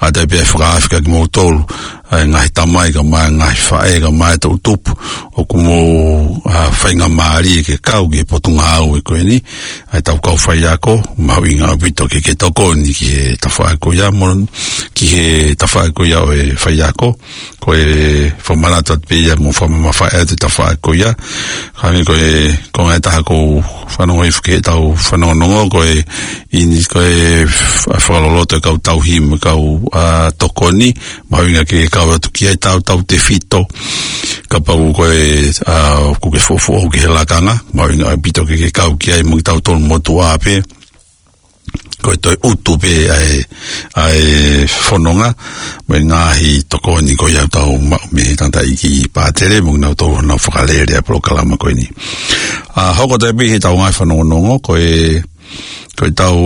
ʻA ia pea ʻe fakaafeʻi kimoutolu, ʻa e ngaahi tamai kae ʻumaʻā e ngaahi faʻē kae ʻumaʻā e toʻu tupu, ʻoku mou, ʻa, faingamālie ke kau ki he potungāue ko eni, ʻa ʻetau kau faiako, mahuʻinga ʻaupito ke, ke tokoni ki he tafaʻaki ko ia mo, ki he tafaʻaki ko ia ʻo e faiako, ko e fakamanatu atu pē ia mo fakamamafaʻi atu e tafaʻaki ko ia. Hangē ko e, ko e ngaahi taha ʻoku ou fanongo hifo ki heʻetau fanongonongo, ko e in-, ko e f-, fakaloloto e kau tauhi mo e kau, ʻa, tokoni, mahuʻinga ke kau atu ki ai, tautautefito kapau ko e, ʻa, ʻoku ke fuofua ō ki he lakanga, mahuʻinga ʻaupito ke, ke kau ki ai mo kitautolu motuʻa pē. Ko e toe utu pē ʻa e, ʻa e fononga, mo e ngaahi tokoni ko ia ʻoku tau maʻu mei he tangataʻeiki Pātele, mo kinautolu ʻoku nau fakalele ʻa e polokalama ko eni. ʻA, hoko atu pē heʻetau ngaahi fanongonongo, ko e, ko ʻetau,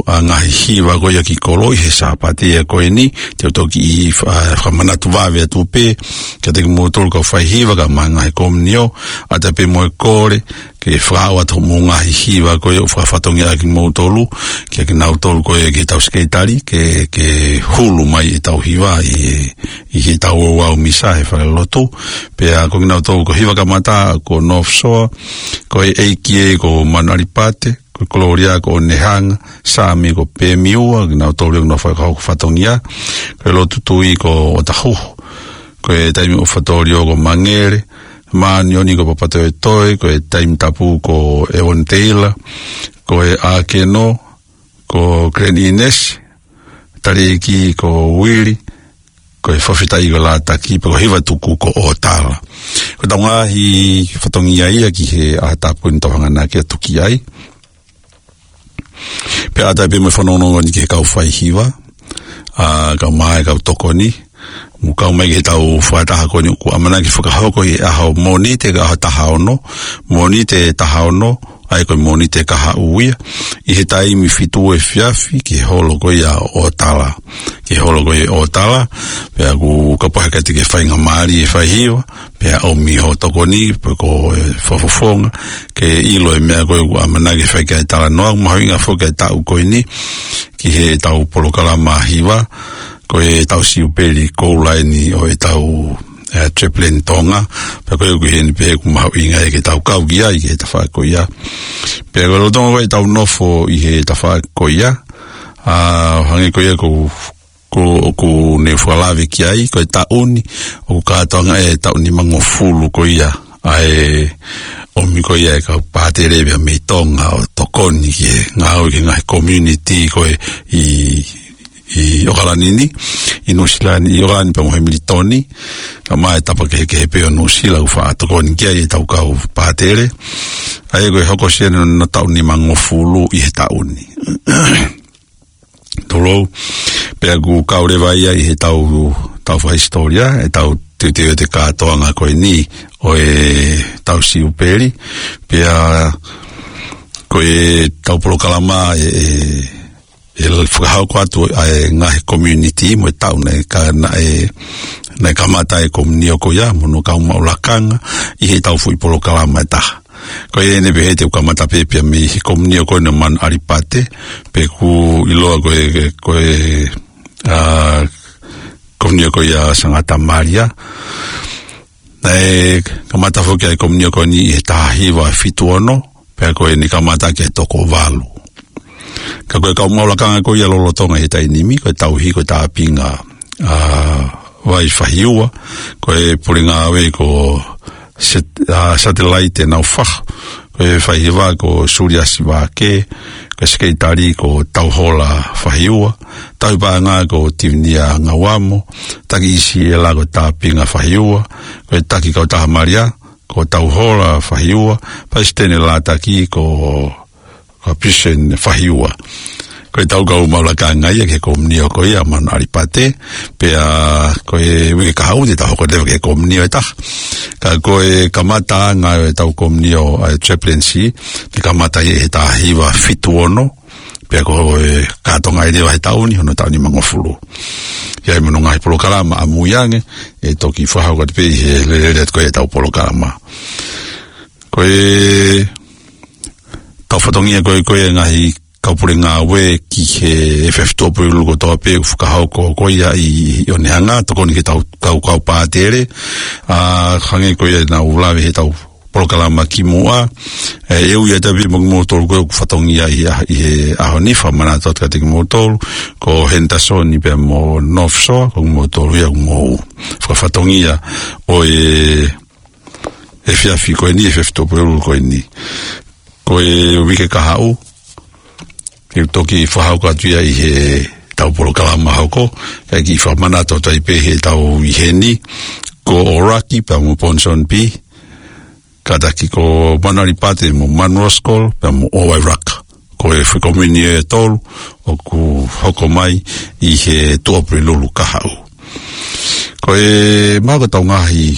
ʻa, ngaahi hiva ko ia ki kolo ʻi he Sāpate ia ko eni, te u toki, ʻa, fakamanatu vave atu pē, kiate kimoutolu kau faihiva kae ʻumaʻā e ngaahi komiunio, ʻa ia pē mo e kole, ke fakaaʻu atu hoʻomou ngaahi hiva ko ia ʻoku fakafatongia ʻaki kimoutolu, kia kinautolu ko ia ki heʻetau sekelitali, ke, ke hulu mai ʻetau hiva ʻi, ʻi heʻetau ouau misa he falelotu. Pea ko kinautolu ko e hiva kamata, ko North Shore, ko e ʻEiki ē ko Manu ʻAlipate, ko e Gloria ko ʻOnehanga, Sami ko Pemiua, kinautolu ʻoku nau fai ʻa e fatongia, ko e Lotu Tui ko ʻOtahuhu, ko e Taimi ʻOfa Tōliō ko Mangele, Māʻoniʻoni ko Papatoetoe, ko e Taimi Tapu ko Evan Taylor, ko e ʻAkeno ko Glenn Innes, Taliʻeiki ko Uili, ko e Fakafetaʻi ko Lātaki, pea ko Hivatuku ko ʻOtala. Ko ʻetau ngaahi fatongia ia ki he ʻaho tapu ni ʻoku tau hanga ʻo tuki ai. Pea ʻatā pē mo e fanongonongo ni ki he kau faihiva, ʻa, kau mai, kau tokoni, mo kau mai ki heʻetau fakataha ko eni ʻoku ʻamanaki fakahoko ʻi he ʻaho Mōnite ko e ʻaho taha ono, Mōnite taha ono, ʻa ia ko e Mōnite kahaʻu ia, ʻi he taimi fitu efiafi ki he holo ko ia ʻo ʻOtala, ki he holo ko ia ʻo ʻOtala, pea ʻoku kapau ʻe ʻikai te ke faingamālie e faihiva, pea ʻomi hoʻo tokoni, pe ko e fakafofonga, ke ʻilo e meʻa ko ē ʻoku ʻamanaki ke fai ki ai e talanoa, mahuʻinga foki e taʻu ko eni, ki heʻetau polokalama hiva, ko e taʻu siupeli koula eni ʻo ʻetau, ē, Chaplain Tonga, pea ko ʻeku ʻi heni pē ʻoku mahuʻinga ia ke tau kau ki ai, ki he tafaʻaki ko ia. Pea ko e lolotonga ko ē ʻetau nofo ʻi he tafaʻaki ko ia, ʻa, hangē ko ia ko ʻoku, ʻoku ne fakalave ki ai, ko e taʻu ni, ʻoku kātoanga e taʻu nimangofulu ko ia, ʻa e ʻomi ko ia e kau pātele pea mei Tonga ʻo tokoni ki he ngāue ki he ngaahi community ko ē ʻi, ʻi ʻOkalani ni, ʻi Nuʻusila ni, ʻi ʻOkalani pea mo Hemilitoni, kae ʻumaʻā e tapa kehekehe pē ʻo Nuʻusila ʻoku faʻa tokoni ki ai ʻetau kau pātele. ʻA ia ko e hokosia eni hono taʻu nimangofulu ʻi he taʻu ni. Tulou, pea ʻoku kau leva ia ʻi heʻetau, tau fakahisitōlia, ʻetau teuteu ʻo e kātoanga ko eni ʻo ʻetau siupeli, pea ko ʻetau polokalama ʻe, ʻe, ʻe fakahoko atu ʻa e ngaahi community mo e taʻu naʻe ka-, naʻe, naʻe kamata e komiunio ko ia, mo hono kau maʻu lakanga, ʻi heʻetau foʻi polokalama ʻe taha. Ko ia eni pē he te u kamata pē pea mei he komiunio ko eni ʻo Manu ʻAlipate, pea ʻoku ʻiloa ko e, ko e, ʻa, komiunio ko ia Sangata Malia. Naʻe kamata foki ʻa e komiunio ko eni ʻi he taha hiva fitu ono, pea ko eni kamata ki he toko valu. Ka ko e kau maʻu lakanga ko ia lolotonga he taimi ni, ko e tauhi ko e Tāpinga, ʻa, Vai Fahiua, ko e pule ngāue ko Set-, ʻa, Satellite Naufahu, ko e faihiva ko Suliasi Vake, ko e sekelitali ko Tauhola Fahiua, tauhi paʻanga ko Tivinia Ngauamo, taki ʻi Siela ko Tāpinga Fahiua, ko e taki kautaha Malia, ko Tauhola Fahiua, palesiteni Lātaki ko, ko Pisen Fahiua. Ko ʻetau kau maʻu lakanga ia ki he komiunio ko ia Manu ʻAlipate, pea ko e uike kahaʻu te tau hoko leva ki he komiunio ʻe taha. Ka ko e kamataʻanga ʻo ʻetau komiunio ʻa e chaplaincy, te kamata ia he taha hiva fitu ono, pea ko e kātoanga ʻi he vahe taʻu ni, hono taʻu nimangofulu. ʻI ai mo hono ngaahi polokalama ʻamui ange, ʻe toki fakahoko atu pē ʻi he lelele atu ko ē ʻetau polokalama. Ko ʻetau fatongia ko ē, ko e ngaahi kau pule ngāue ki he efiafi Tuʻapulelulu kotoa pē ʻoku fakahoko ko ia ʻi, ʻi ʻOnehunga, tokoni ki heʻetau kau, kau pātele, ʻa, hangē ko ia naʻa ku lave heʻetau polokalama kimuʻa. ʻE, ʻe ui atu pē mo kimoutolu ko ē ʻoku fatongia ʻi he, ʻi he ʻaho ni, fakamanatu atu kiate kimoutolu, ko Henderson pea mo North Shore, ko kimoutolu ia ʻoku mou fakafatongia ʻo e efiafi ko eni, efiafi Tuʻapulelulu ko eni. Ko e uike kahaʻu, te u toki fakahoko atu ia ʻi heʻetau polokalama hoko, kae kiʻi fakamanatu atu ai pē heʻetau ʻi heni, ko ʻOraki pea mo Ponsonby, kātaki ko Manu ʻAlipate mo Manu Roskol pea mo ʻOwairaka. Ko e foʻi komiunio ʻe tolu ʻoku hoko mai ʻi he Tuʻapulelulu kahaʻu. Ko e maʻu ko ʻetau ngaahi,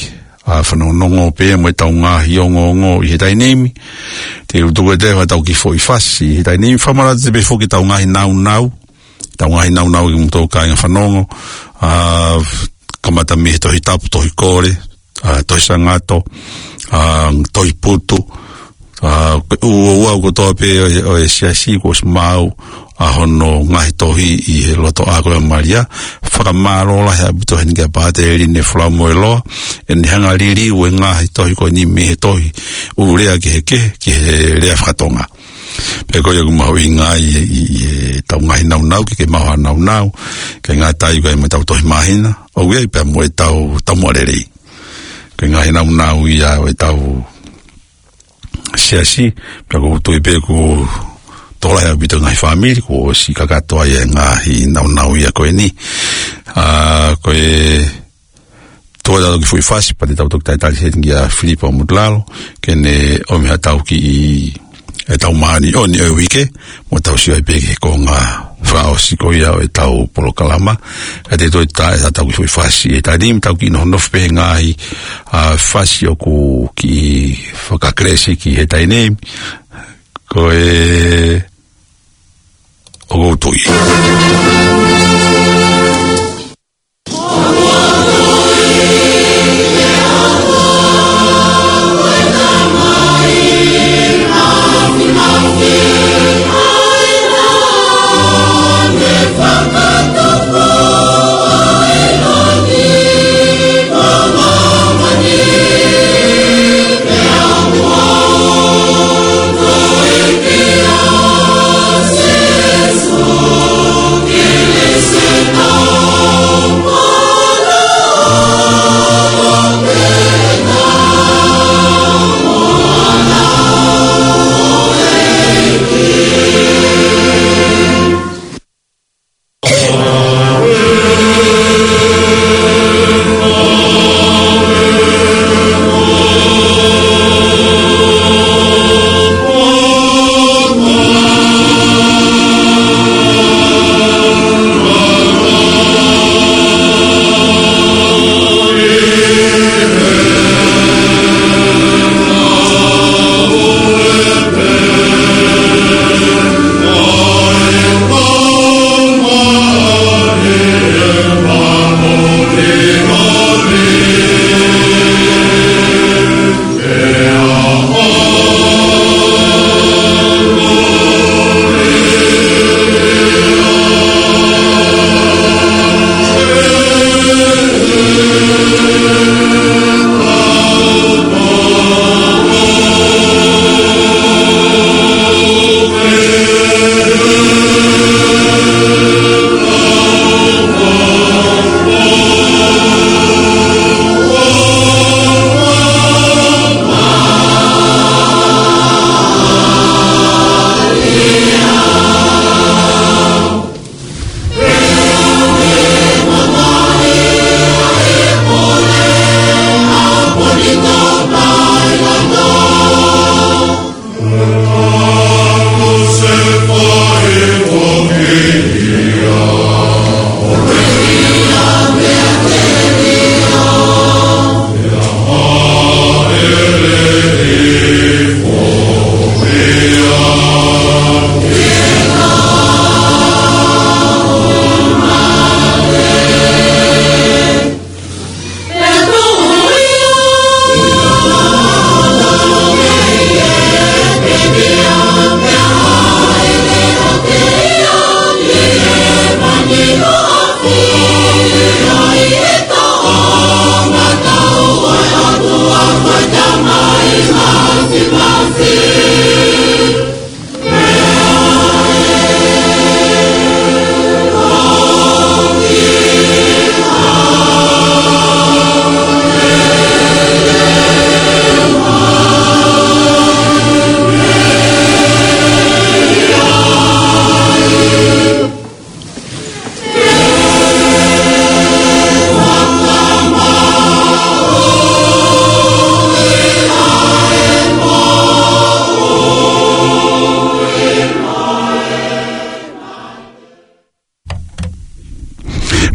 ʻa, fanongonongo pea mo ʻetau ngaahi ongoongo ʻi he taimi ni. Te u tuku atu ʻetau kiʻi foʻi fasi ʻi he taimi ni. Fakamanatu atu pē foki ʻetau ngaahi naunau. ʻEtau ngaahi naunau kimoutolu kāinga fanongo. ʻA, kamata mei he Tohi Tapu, Tohi Kole, ʻa, Tohi Sangato, ʻa, Tohi Putu, ʻa, ko e ʻū ouau kotoa pē ʻo e, ʻo e siasi kuo ʻosi maʻu ʻa hono ngaahi tohi ʻi he lotoʻā ko ē ʻo Malia. Fakamālō lahi ʻaupito heni kia Pātele Line Folamoeloa, ʻene hanga ʻo liliu e ngaahi tohi ko eni mei he tohi ʻū lea kehekehe ki he lea fakatonga. Pea ko ia ʻoku mahuʻinga ai ʻi, ʻi, ʻi heʻetau ngaahi naunau, ke, ke maʻu ha naunau, ke ngata ai ko ē mo ʻetau tohi māhina, ʻoku ʻi ai pea mo ʻetau taumuʻa lelei. ko e ngaahi nāunau ia ʻo ʻetau siasi, pea ʻoku ou tui pē ʻoku tokolahi ʻaupito e ngaahi fāmili kuo ʻosi kakato ai e ngaahi nāunau ia ko eni. ʻA, ko e tō ʻetau kiʻi foʻi fasi, pea te tau toki talitali heni kia Filipo Motulalo, ke ne ʻomi haʻatau kiʻi, ʻetau māʻoniʻoni ʻo e uike, mo tau sio ai pē ki he konga fakaʻosi ko ia ʻo ʻetau polokalama. Ka te toe tā ʻetau kiʻi foʻi fasi he taimi ni, tau kiʻi nofo pē he ngaahi, ʻa, fasi ʻoku kiʻi fakakelesi ki he taimi ni. Ko e, ʻoku ou tui.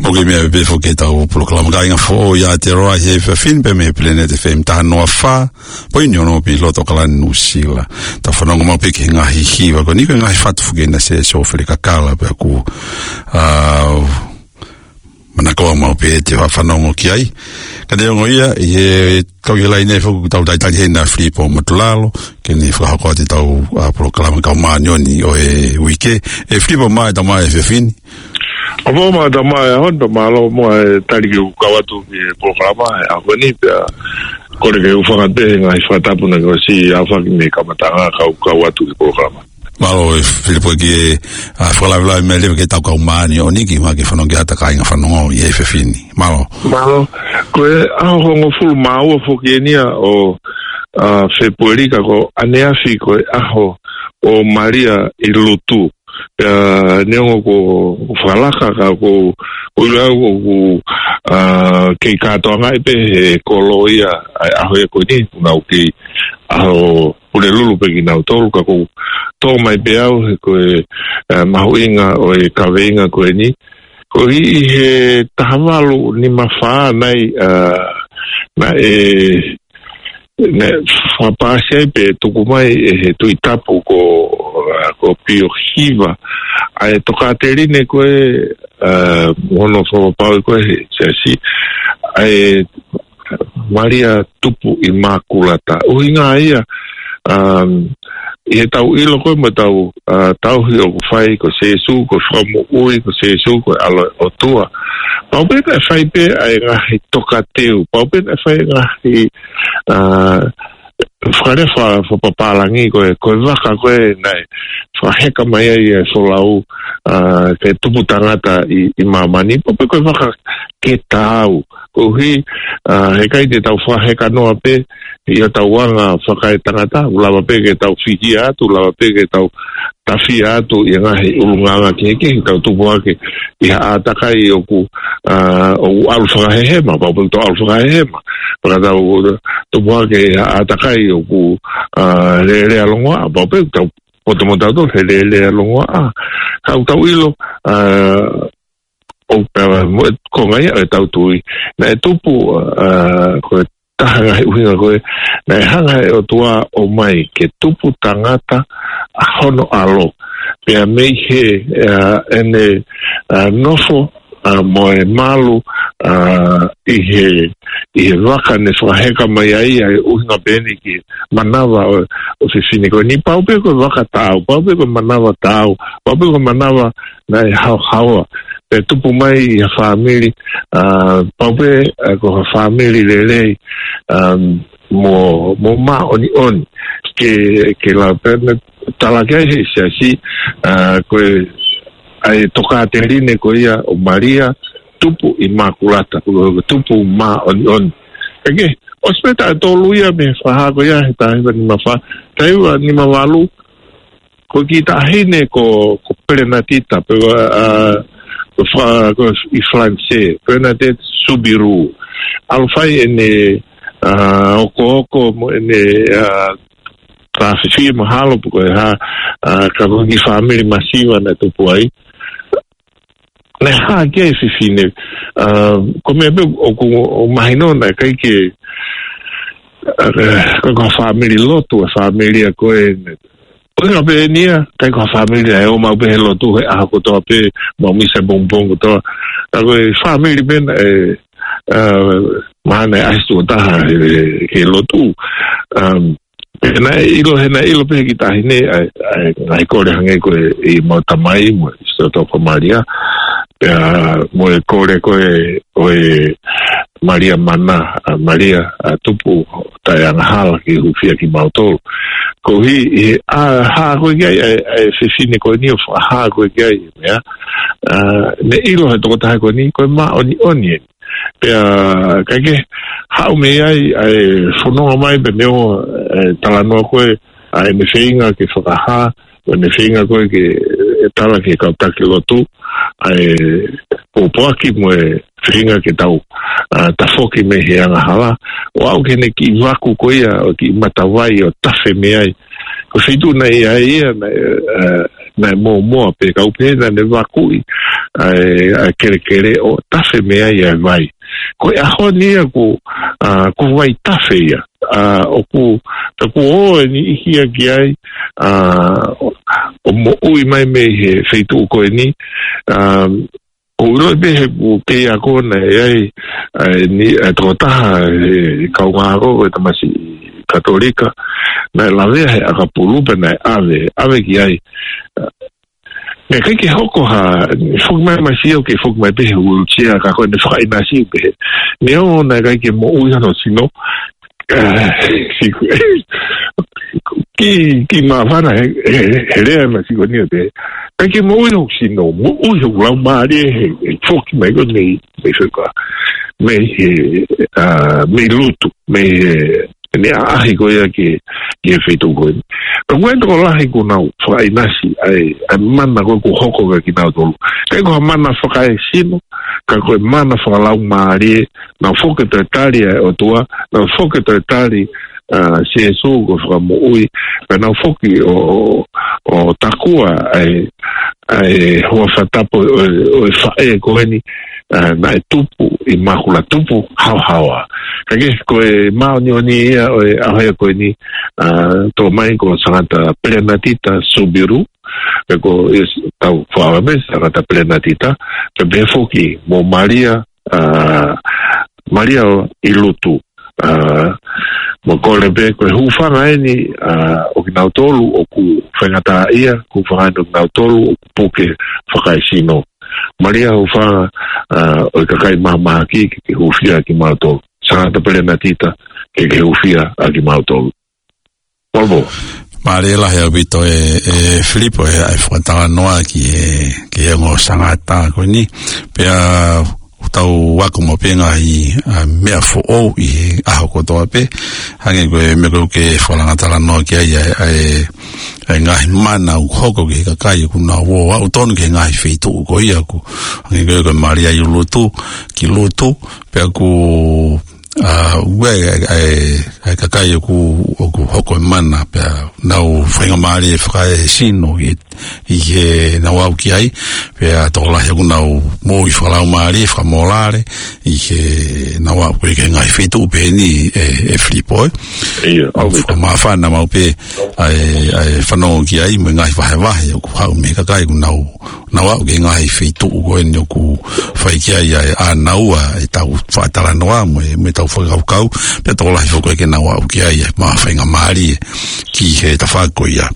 Mo ke meʻa pē foki ki heʻetau polokalama kāinga foʻou ʻa e Te Roa he efiafi ni pē mei he Planet F M taha noa fā poini ono pē ʻi loto ʻAokalani, Nuʻusila. Tau fanongo maʻu pē ki he ngaahi hiva ko eni, ko e ngaahi fatu foki ʻena Siasi ʻo Felekakala pea ʻoku, ʻa, manako maʻu pē ʻete fanongo ki ai. Ka neongo ia, ʻi he kau ʻi he laine foki ʻoku tau talitali heni ʻa Filipo Motulalo, ke ne fakahoko atu ʻetau, ʻa, polokalama kau māʻoniʻoni ʻo e uike. ʻE Filipo, mālō e tau mai he efiafi ni. ʻOfa mo e tau mai ʻa e ʻaho ni, pea mālō muʻa e tali ke u kau atu ki he polokalama he ʻaho ni, pea kole ke u hūfanga pē he ngaahi fakatapu naʻe ʻosi aofaki mei he kamataʻanga kae kau atu ki he polokalama. Mālō e Filipoiki e, a, fakalavelave mai leva ki he tau kau māʻoniʻoni ki ma ke fanongo ki he ata kāinga fanongo ʻi he efiafi ni. Mālō. Mālō. Ko e ʻaho hongofulu mā ua foki eni ia ʻo, a, Fēpueli ka ko ʻaneafi ko e ʻaho ʻo Malia ʻi Lutu. Pea neongo ko, ko fakalaka ka ko, ko ʻilo au ʻoku, a, kei kātoangaʻi pē he kolo ia ʻa e ʻaho ia ko eni, ʻoku nau kei ʻaho Pulelulu pē kinautolu, ka ʻoku tō mai pē au he ko e, a, mahuʻinga ʻo e kaveinga ko eni. Ko ʻi he taha valu nima fā nai, a, naʻe, naʻe fakapaasi ai pē tuku mai ʻe he Tuʻi Tapu ko, a, ko Pio Hiva ʻa e tokāteline ko ē, a, mo hono fakapapauʻi ko ē he siasi, ʻa e Malia Tupu ʻImākulata. ʻUhinga ia, um, ʻi he tau ʻilo ko ē mo tau, a, tauhi ʻoku fai ko Sēsū, ko e Fakamoʻui, ko Sēsū, ko e ʻAlo ʻo e ʻOtua. Pau pē naʻe fai pē ʻa e ngaahi tokateu, pau pē naʻe fai e ngaahi, a, fakalea fa-, fakapapālangi ko e, ko e vaka ko ē naʻe fakaheka mai ai e folau, a, ke tupu tangata ʻi, ʻi māmani, pau pē ko e vaka ke taau. Koeʻuhi, a, heʻikai te tau fakaheka noa pē ʻi hotau anga fakaetangata, ʻoku lava pē ke tau fihia atu, lava pē ke tau tafia atu ʻi he ngaahi ʻulungaanga kehekehe, tau tupu hake ʻi ha ʻātakai ʻoku, a, ʻoku ʻalu fakahehema, pau pē ke tau ʻalu fakahehema. Pea ka tau tupu hake ʻi ha ʻātakai ʻoku, a, lēlea longoaʻa, pau pē ke tau poto mo tautolu he lēlea longoaʻa. Ka ʻoku tau ʻilo, a, ʻo pea mo e konga ia ʻo e tau tui. Naʻe tupu, a, ko e taha ngaahi ʻuhinga ko ē, naʻe hanga ʻe he ʻOtua ʻo ʻomai ke tupu tangata ʻa hono ʻAlo. Pea mei he, a, ʻene, a, nofo, a, mo e malu, a, ʻi he, ʻi he vaka naʻe fakaheka mai ai, ʻa e ʻuhinga pē eni ki he manava ʻo, ʻo e fefine ko eni, pau pē ko e vaka taau, pau pē ko e manava taau, pau pē ko e manava naʻe haohaoa. Pea tupu mai ʻi ha fāmili, a, pau pē, a, ko ha fāmili lelei, a, mo, mo māʻoniʻoni. Ke, ke lau pē naʻe tala ki ai he siasi, a, ko e, ʻa e tokāteline ko ia ʻo Malia Tupu ʻImākulata, ko e Tupu Māʻoniʻoni. Kae kehe, ʻosi pē taʻu ʻe tolu ia mei he fakahā ko ia he taha hiva nima fā, taha hiva nima valu, ko e kiʻi taʻahine ko, ko Pelenatita, pe ko, a, ko fa-, ko ʻi Falanisē, Bernadette Soubirous. ʻAlu fai ʻene, a, okooko mo ʻene, a, tāfifie mahalo pe ko e hā, a, ka ko e kiʻi fāmili masiva naʻe tupu ai. Naʻe hā ki ai e fefine, a, ko e meʻa pē ʻoku, ʻoku mahino naʻe ʻikai ke, a, ko e, ko e fāmili lotu, e fāmili ia ko ē, ko e ngā pē eni ia, ʻikai ko ha fāmili ia ʻe ō maʻu pē he lotu he ʻaho kotoa pē, maʻu misa pongipongi kotoa. Ka ko e fāmili pē naʻe, a, mahalo naʻe ʻasi tuʻo taha he, he lotu. Um, pea naʻe ʻilo, he naʻe ʻilo pē he kiʻi taʻahine, ʻa e, ʻa e ngaahi kole hangē ko e ʻemau Tamai mo e Siʻoto ko Malia. Pea mo e kole ko ē ʻo e Malia Mana, a, Malia, a, Tupu taʻeangahala ke hūfia kimautolu. Koeʻuhi, ʻi he, a, hā ko ē ki ai, ʻa e, ʻa e fefine ko eni ʻo fakahā ko ē ki ai, meʻa, a, naʻe ʻilo he tokotaha ko eni, ko e māʻoniʻoni eni. Pea, kae kehe, haʻu mei ai, ʻa e fononga mai pē meʻa ʻo, e, talanoa ko ē, ʻa ʻene feinga ke fakahā, ʻo ʻene feinga ko ē ke, e, tala ki he kau taki lotu, ʻa e pōpoaki mo e feinga ke tau, a, tafoki mei he angahala, ʻo aʻu ki heʻene kiʻi vaku ko ia, ʻo e kiʻi matavai ʻo tafe mei ai. Ko e feituʻu naʻe ʻi ai ia, naʻe, a, naʻe mōmoa pē kau pē naʻa ne vakuʻi, ʻa e, ʻa e kelekele ʻo tafe mei ai ʻa e vai. Ko e ʻaho ni ia ko, a, ko e vai tafe ia. A, ʻoku, ka kuo ʻosi ʻi heni ia ki ai, a, ʻo, ʻo moʻui mai mei he feituʻu ko eni, a, ʻoku ʻilo pē he ʻoku kei ako naʻe ʻi ai, a, ni, a, tokotaha, e, kaungā ako, ko e tamasiʻi Katolika, naʻe lavea he ʻakapulu pea naʻe ʻave, ʻave ki ai. A, naʻe ʻikai ke hoko ha, foki mai mai sio ke foki mai pē he wheelchair, ka ko ʻene fakaʻinasi pē. Neongo naʻe ʻikai ke moʻui hono sino, Siku, ki, ki māfana he, he, he lea ma siku ni o te. Ka ke moʻui hoku sino, moʻui hoku laumālie he, he foki mai ko e mei, mei feka. Mei he, ā, mei Lutu, mei he, ne ʻaʻahi ko ia ki, ki he feituʻu ko eni. Ka ko e tokolahi kuo nau fakaʻinasi, ʻa e, ʻa e mana ko ē kuo hoko kia kinautolu. Ka ko ha mana fakaesino, ka ko e mana fakalaumālie, nau foki toe tali ʻa e ʻOtua, nau foki toe tali, ā, Sīsū ko e Fakamoʻui, pea nau foki ʻo, ʻo, ʻo takua ʻa e, ʻa e hoa fakatapu ʻo, ʻo e faʻē ko eni, ā, naʻe tupu ʻi māhina tupu haohaoa. Ka ke ko e māʻoniʻoni ia ʻo e ʻaho ia ko eni, ā, tō mai ko Sangata Pelenatita Subiru, pe ko e s-, tau fakaʻamu pē Sangata Pelenatita, pea pehē foki mo Malia, ā, Malia ʻi Lutu, ā, mo kole pē ko e hūfanga eni, ā, ʻo kinautolu ʻoku faingataʻaʻia, hūfanga eni ʻo kinautolu ʻoku puke fakaesino. Malia hūfanga, ā, ʻo e kakai mahamahaki ke, ke hūfia ʻa kimautolu. Sangata Pelenatita ke, ke hūfia ʻa kimautolu. Mālō. Mālie lahi ʻaupito ē, ē Filipo, ē, ʻa e fakatalanoa ki he, ki he ongo Sangata ko eni. Pea ʻoku tau ako maʻu pē ngaahi, ā, meʻa foʻou ʻi he ʻaho kotoa pē. Hangē ko e meʻa ko ē ʻoku ke fakalanga talanoa ki ai, ʻa e, ʻa e, ʻa e ngaahi mana ʻoku hoko ki he kakai ʻoku nau ō aʻu tonu ki he ngaahi feituʻu ko ia ʻoku. Hangē ko e, ko Malia ʻi Lutu, ki Lutu, pea ʻoku ʻA, ʻoku ʻi ai, ʻa e, ʻa e, ʻa e kakai ʻoku, ʻoku hoko e mana pea nau faingamālie fakaesino ʻi, ʻi heʻenau aʻu ki ai, pea tokolahi ʻoku nau moʻui fakalaumālie, fakamōlale, ʻi heʻenau aʻu ki he ngaahi feituʻu pehē ni ē, ē Filipo ē. ʻIo, ʻoku ʻaupito. Fakamāfana maʻu pē ʻa e, ʻa e fanongo ki ai, mo e ngaahi vahevahe ʻoku haʻu mei he kakai ʻoku nau nau aʻu ki he ngaahi feituʻu ko eni ʻoku fai ki ai ʻa e ʻānaua ʻetau fakatalanoa mo e, mo ʻetau fakakaukau, pea tokolahi foki ke nau aʻu ki ai ʻa e maʻu faingamālie ki he tafaʻaki ko ia.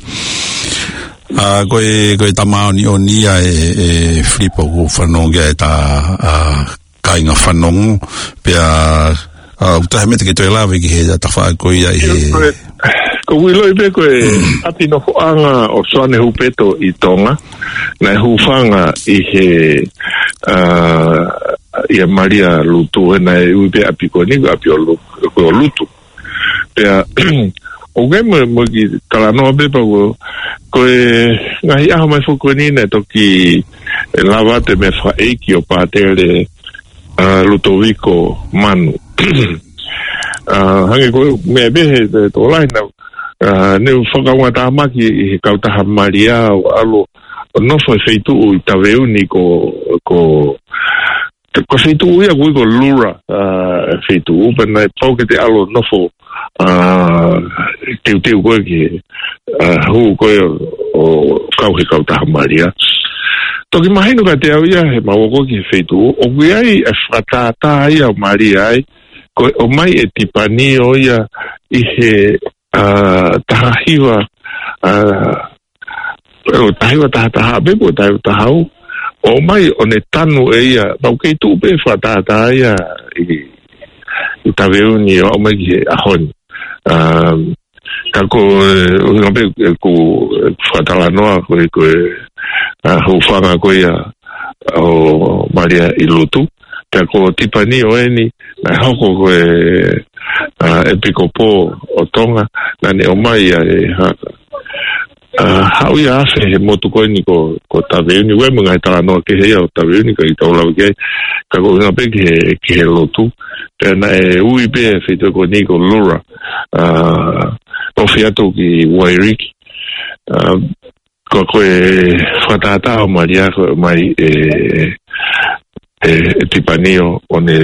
ʻA, ko e, ko e tā māʻoniʻoni ia ē, ē Filipo ʻoku fanongo ki ai ʻetau, ʻa, kāinga fanongo, pea, ʻa, ʻoku ʻi ai ha meʻa te ke toe lave ki he tafaʻaki ko ia ʻi he. Ko e, ko e ʻilo pē ko e ʻapi nofoʻanga ʻo Soane Hupeto ʻi Tonga, naʻe hūfanga ʻi he, ʻa, ʻia Malia Lutu, he naʻe ui pē ʻapi ko eni, ko e ʻapi ʻo Lu-, ko Lutu. Pea, ʻoku ʻi ai mo, mo e kiʻi talanoa pē pea ko, ko e ngaahi ʻaho mai foki ko eni naʻe toki lava atu e meʻa fakaʻeiki ʻo Pātele, ʻa, Lutoviko Manu. ʻA, hangē ko e meʻa pē he, he tokolahi naʻa, ʻa, ne u fakaungatāmaki ʻi he kautaha Malia ʻo ʻalu ʻo nofo he feituʻu ʻi Taveuni ko, ko Te ko e feituʻu ia ʻoku ui ko Lura, ʻa, feituʻu pea naʻe pau ke te ʻalu ʻo nofo, ʻa, teuteu ko ē ki he, ʻa, hū ko ē ʻo, ʻo kau he kautaha Malia. Toki mahino kiate au ia heʻemau ako ki he feituʻu, ʻoku ʻi ai e fakatātā ia ʻo Malia ai, ko e ʻomai e Tipanio ia ʻi he, ʻa, taha hiva, ʻa, ʻo taha hiva taha taha pē, ʻo taha hiva taha ua. ʻOmai ʻo ne tanu ʻe ia, pau kei tuʻu pē fakatātā ia ʻi, ʻi Taveuni ʻo aʻu mai ki he ʻaho ni. Um, ka ko, ʻuhinga pē, ē, ʻeku, ʻeku fakatalanoa ko e, ko e, ʻa, hūfanga ko ia ʻo Malia ʻi Lutu. Pea ko Tipanio eni, naʻe hoko ko e, ʻa, ʻepikopō ʻo Tonga, naʻa ne ʻomai ʻa e, ha, ʻa, haʻu ia ʻo afe he motu ko eni ko, ko Taveuni, ʻoku ʻi ai mo e ngaahi talanoa kehe ia ʻo Taveuni, ʻikai ke tau lava ki ai, ka ko e ʻuhinga pē ki he, ki he lotu. Pea naʻe ui pē e feituʻu ko eni ko Lura, ʻa, ofi atu ki Wairiki. ʻA, ko, ko e fakatātā ʻo Malia ko e ʻomai e, e, e Tipanio ʻo ne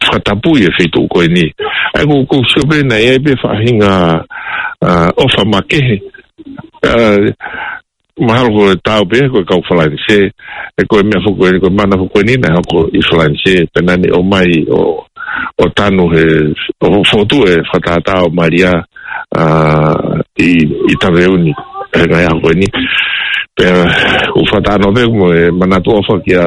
fakatapui e feituʻu ko eni. ʻA ia ʻoku, ʻoku ou sio pē naʻe ʻi ai pē faʻahinga, ʻa, ʻofa makehe. ʻA, mahalo ko e tau pē ko e kau Falanisē, ē ko e meʻa foki ko eni, ko e mana foki ko eni naʻe hoko ʻi Falanisē, pea naʻa ne ʻomai ʻo, ʻo tanu he, ʻo fokotuʻu e fakatātā ʻo Malia, ʻa, ʻi, ʻi Taveuni, he ngaahi ʻaho ko eni. Pea ʻoku ou fakatalanoa pē mo e manatu ʻofa kia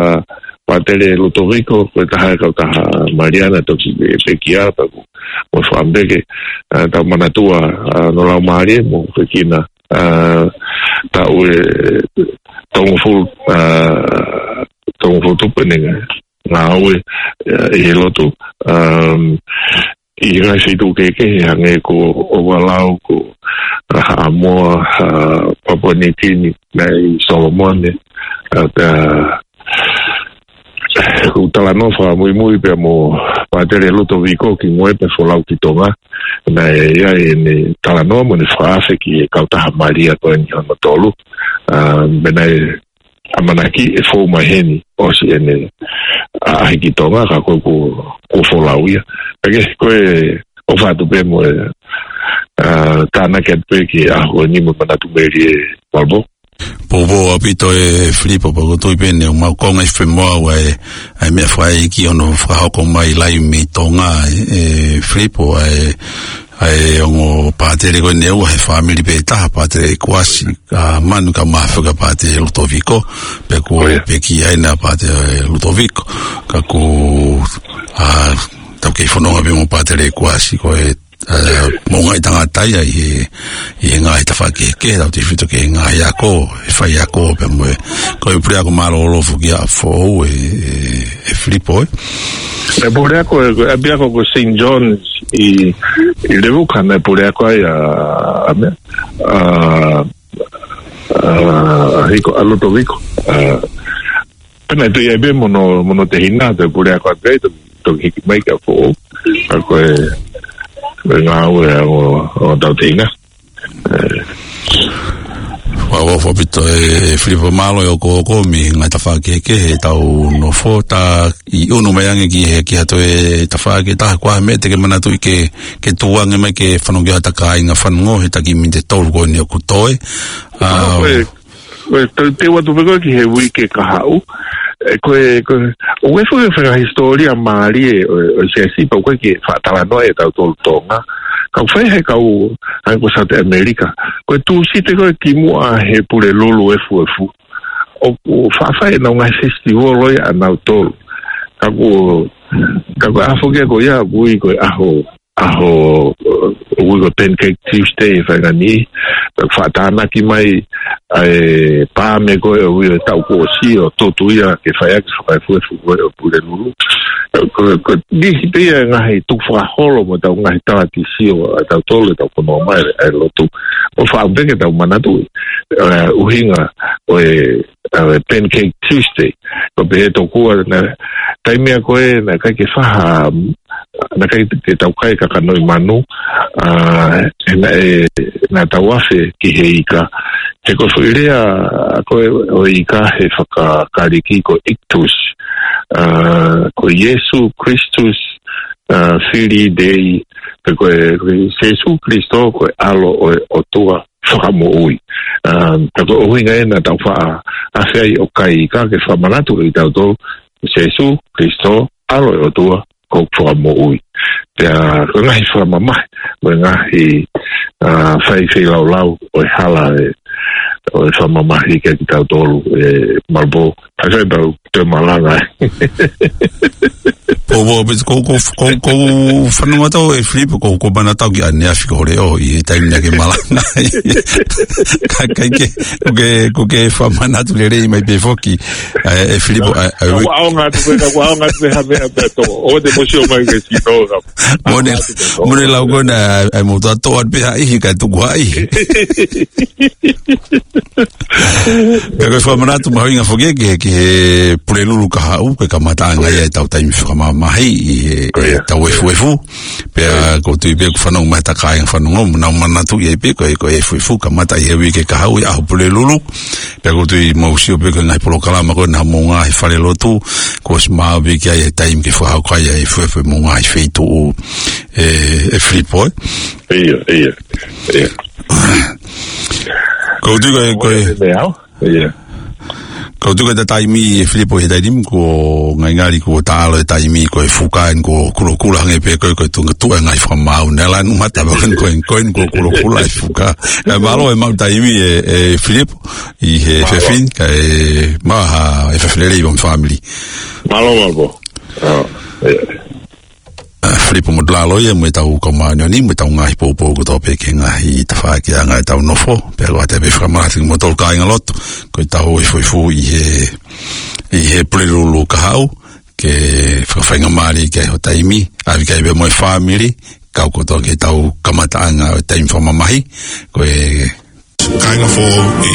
Pātele Lutoviko, ko e taha e kautaha Maliana, toki pe-, pekia, pea ko, mo e fāmili ke, ʻa, tau manatua, ʻa, hono laumālie mo fekina, ʻa, taʻu ʻe tolungofulu, ʻa, tolungofulu tupu ʻene ngāue, ʻa, ʻi he lotu, um, ʻi he ngaahi feituʻu kehekehe hangē ko Ovalau, ko, ʻa, Haʻamoa, ʻa, Papua Niukini, naʻe ʻi Solomone, ʻa, ka, ʻoku talanoa fakamuimui pea mo Pātele Lutoviko ki Moe pea folau ki Tonga, naʻe ʻi ai ʻene talanoa mo ʻene fakaafe ki he kautaha Malia ko eni hono tolu, ʻa, pea naʻe ʻamanaki ʻe fou mai heni ʻosi ʻene ʻaʻahi ki Tonga, ka ko e kuo, kuo folau ia. Pea ke, ko e ʻofa atu pē mo e, ʻa, tānaki atu pē ki he ʻaho ni mo e manatu melie ē, Malvo. Poupou ʻaupito ē Filipo, pea ʻoku ou tui pē ʻoku mau konga ʻi femoʻuekina ʻa e, ʻa e meʻa fai ki hono fakahoko mai laivi mei Tonga ē, ē Filipo, ʻa e, ʻa e ongo pātele ko eni ʻa e fāmili pē taha, Pātele Kuasi, ʻa, Manu ka mafoka Pātele Lutoviko, pea ko ʻIo. Peki ai na Pātele Lutoviko, ka ko, ʻa, tau kei fononga pē mo Pātele Kuasi, ko e, ʻa, moʻungaʻi tangata ia ʻi he, ʻi he ngaahi tafaʻaki kehekehe, tautefito ki he ngaahi ako, ʻe faiako, pea mo e, ko e puleako mālōlō foki ia foʻou ē, ē, ē Filipo ē. ʻE puleako, ʻe, ʻe ʻapiako ko Saint John's ʻi, ʻi Levuka naʻe puleako ai ʻa, ʻa meʻa, ʻa, ʻa, ʻa Hiko, ʻa Lutoviko. ʻA, pea naʻe toe ʻi ai pē mo hono, mo hono tehina, toe puleako atu ai, toe, toe hiki mai ki ʻApifoʻou. ʻA ko e, ko e ngāue ʻa, ʻo, ʻo ʻetau tehina. ʻE. Ua, ua, ʻofa ʻaupito ē, ē Filipo, mālō e ʻokoʻokomi, ngaahi tafaʻaki kehekehe ʻetau nofo, ta ʻi ʻunu mai ange ki he, ki ha toe tafaʻaki ʻe taha, ko e hā e meʻa te ke manatuʻi ke, ke tukuange mai ke fanongo ki ai hota kāinga fanongo he taki miniti ʻe tolu ko eni ʻoku toe. ʻA, ʻa, ko e, ko e, te, te u ʻoatu pē ko ē ki he uike kahaʻu. ʻE, ko e, ko e, ʻoku ʻi ai e foʻi fakahisitōlia mālie ʻo, ʻo e siasi pea ʻoku ʻikai ke faʻa talanoa ʻe tautolu Tonga. Ka ʻoku fai he kau, ʻa ia ko South America. Ko e Tūsite ko ē kimuʻa he Pulelulu efuefu, ʻoku faʻa fai ʻenau ngaahi festival ʻo ia ʻanautolu. Ka ko, ka ko e ʻaho foki ko ia ʻoku ui ko e ʻaho, ʻaho, ʻoku ui ko e Pancake Tuesday ʻi he faʻahinga ni, pea faʻa tānaki mai ʻa e paame ko ē ʻoku ui ʻo e taʻu kuo ʻosi ʻo tutu ia ke fai ʻaki e fakaefuefu ko ē ʻo Pulelulu. Ko, ko e niʻihi pē ia e ngaahi tukufakaholo mo ʻetau ngaahi talatisio ʻa tautolu ʻetau fononga mai ʻa e lotu. ʻOku ou fakaʻamu pē ke tau manatuʻi, ʻa, ʻuhinga ʻo e, ʻa e Pancake Tuesday. Ko e pehē tokua naʻe, taimi ia ko ē naʻe ʻikai ke fai ha, naʻe ʻikai ke tau kai kakanoʻi manu, ʻa, he naʻe, naʻa tau afe ki he ika. He ko e foʻi lea ko ē ʻo e ika he fakaKalisi ko e Ictus, ʻa, ko Iesu Kristus, ʻa, Filii Dei, pe ko e, ko Sēsū Kalaisi ko e ʻAlo ʻo e ʻOtua Fakamoʻui. ʻA, ka ko e ʻuhinga ē naʻa tau faʻa afe ai ʻo kai ika ke fakamanatu kiate kitautolu, Sēsū Kalaisi, ʻAlo ʻo e ʻOtua, ko e Fakamoʻui. Pea ko e ngaahi fakamamahi, mo e ngaahi, ʻa, fai feilaulau ʻo e hala ē, ʻo e fakamamahi kiate kitautolu ē Malvo. Ka sai pau te malanga. Ko, ko, ko, ko, ko, ko fanongo atu ē Filipo, ko, ko mana tau ki ʻaneafi ko le ʻo, ʻi he taimi naʻa ke malanga. Ka, ka ke, ko ke, ko ke fakamanatu lelei mai pē foki, ē, ē Filipo, ē, ē, Kau ʻaonga atu pē, kau ʻaonga atu pē ha meʻa pē tō. ʻO te mosio mai ke sino ka. Mone, mone lau ko ena, ē, ē, mo ta tō atu pē ha ʻihi ka tuku ha ʻihi. Ka ko e fakamanatu mahuʻinga foki ki he, ki he Pulelulu kahaʻu, ko e kamataʻanga ia ʻetau taimi fakamamahi ʻi he, ʻetau efuefu. Pea ʻoku ou tui pē ʻoku fanongo mai hota kāinga fanongo, mo nau manatuʻi ai pē ko e, ko e efuefu kamata ʻi he uike kahaʻu ʻi he ʻaho Pulelulu. Pea ʻoku ou tui mou sio pē ko e ngaahi polokalama ko ena mo e ngaahi falelotu, kuo ʻosi maʻu pē ki ai e taimi ke fakahoko ai e efuefu mo e ngaahi feituʻu ē, ē Filipo ē. ʻIo, ʻio, ʻio. ʻOku ou tui ko e, ko e, ʻIo. Ko e tuku e taimi ʻe Filipo he taimi kuo ngalingali kuo taʻalo e taimi ko e fuka eni kuo kulokula hangē pē ko e, ko e tuʻunga tuʻu e ngaahi fakamaau. Naʻe lanu mata pē ko e, ko e, ko e kulokula e fuka. Kae mālō e maʻu taimi ʻe, ʻe Filipo ʻi he fefine, kae maha e fefine lei ʻo e fāmili. Mālō, mālō. Ah, ʻa Filipo Motulaloia mo e tau kau māʻoniʻoni, mo e tau ngaahi poupou kotoa pē ki he ngaahi tafaʻaki ʻa e ngaahi tau nofo, pea ʻoku ʻatā pē fakamālō atu ki he moutolu kāinga lotu, ko e tau efuefu ʻi he, ʻi he Pulelulu kahaʻu, ke fakafaingamālie ki ai ho taimi, ʻave ki ai pē mo e fāmili, kau kotoa ki he tau kamataʻanga ʻo e taimi fakamamahi, ko e kāinga foʻou ʻi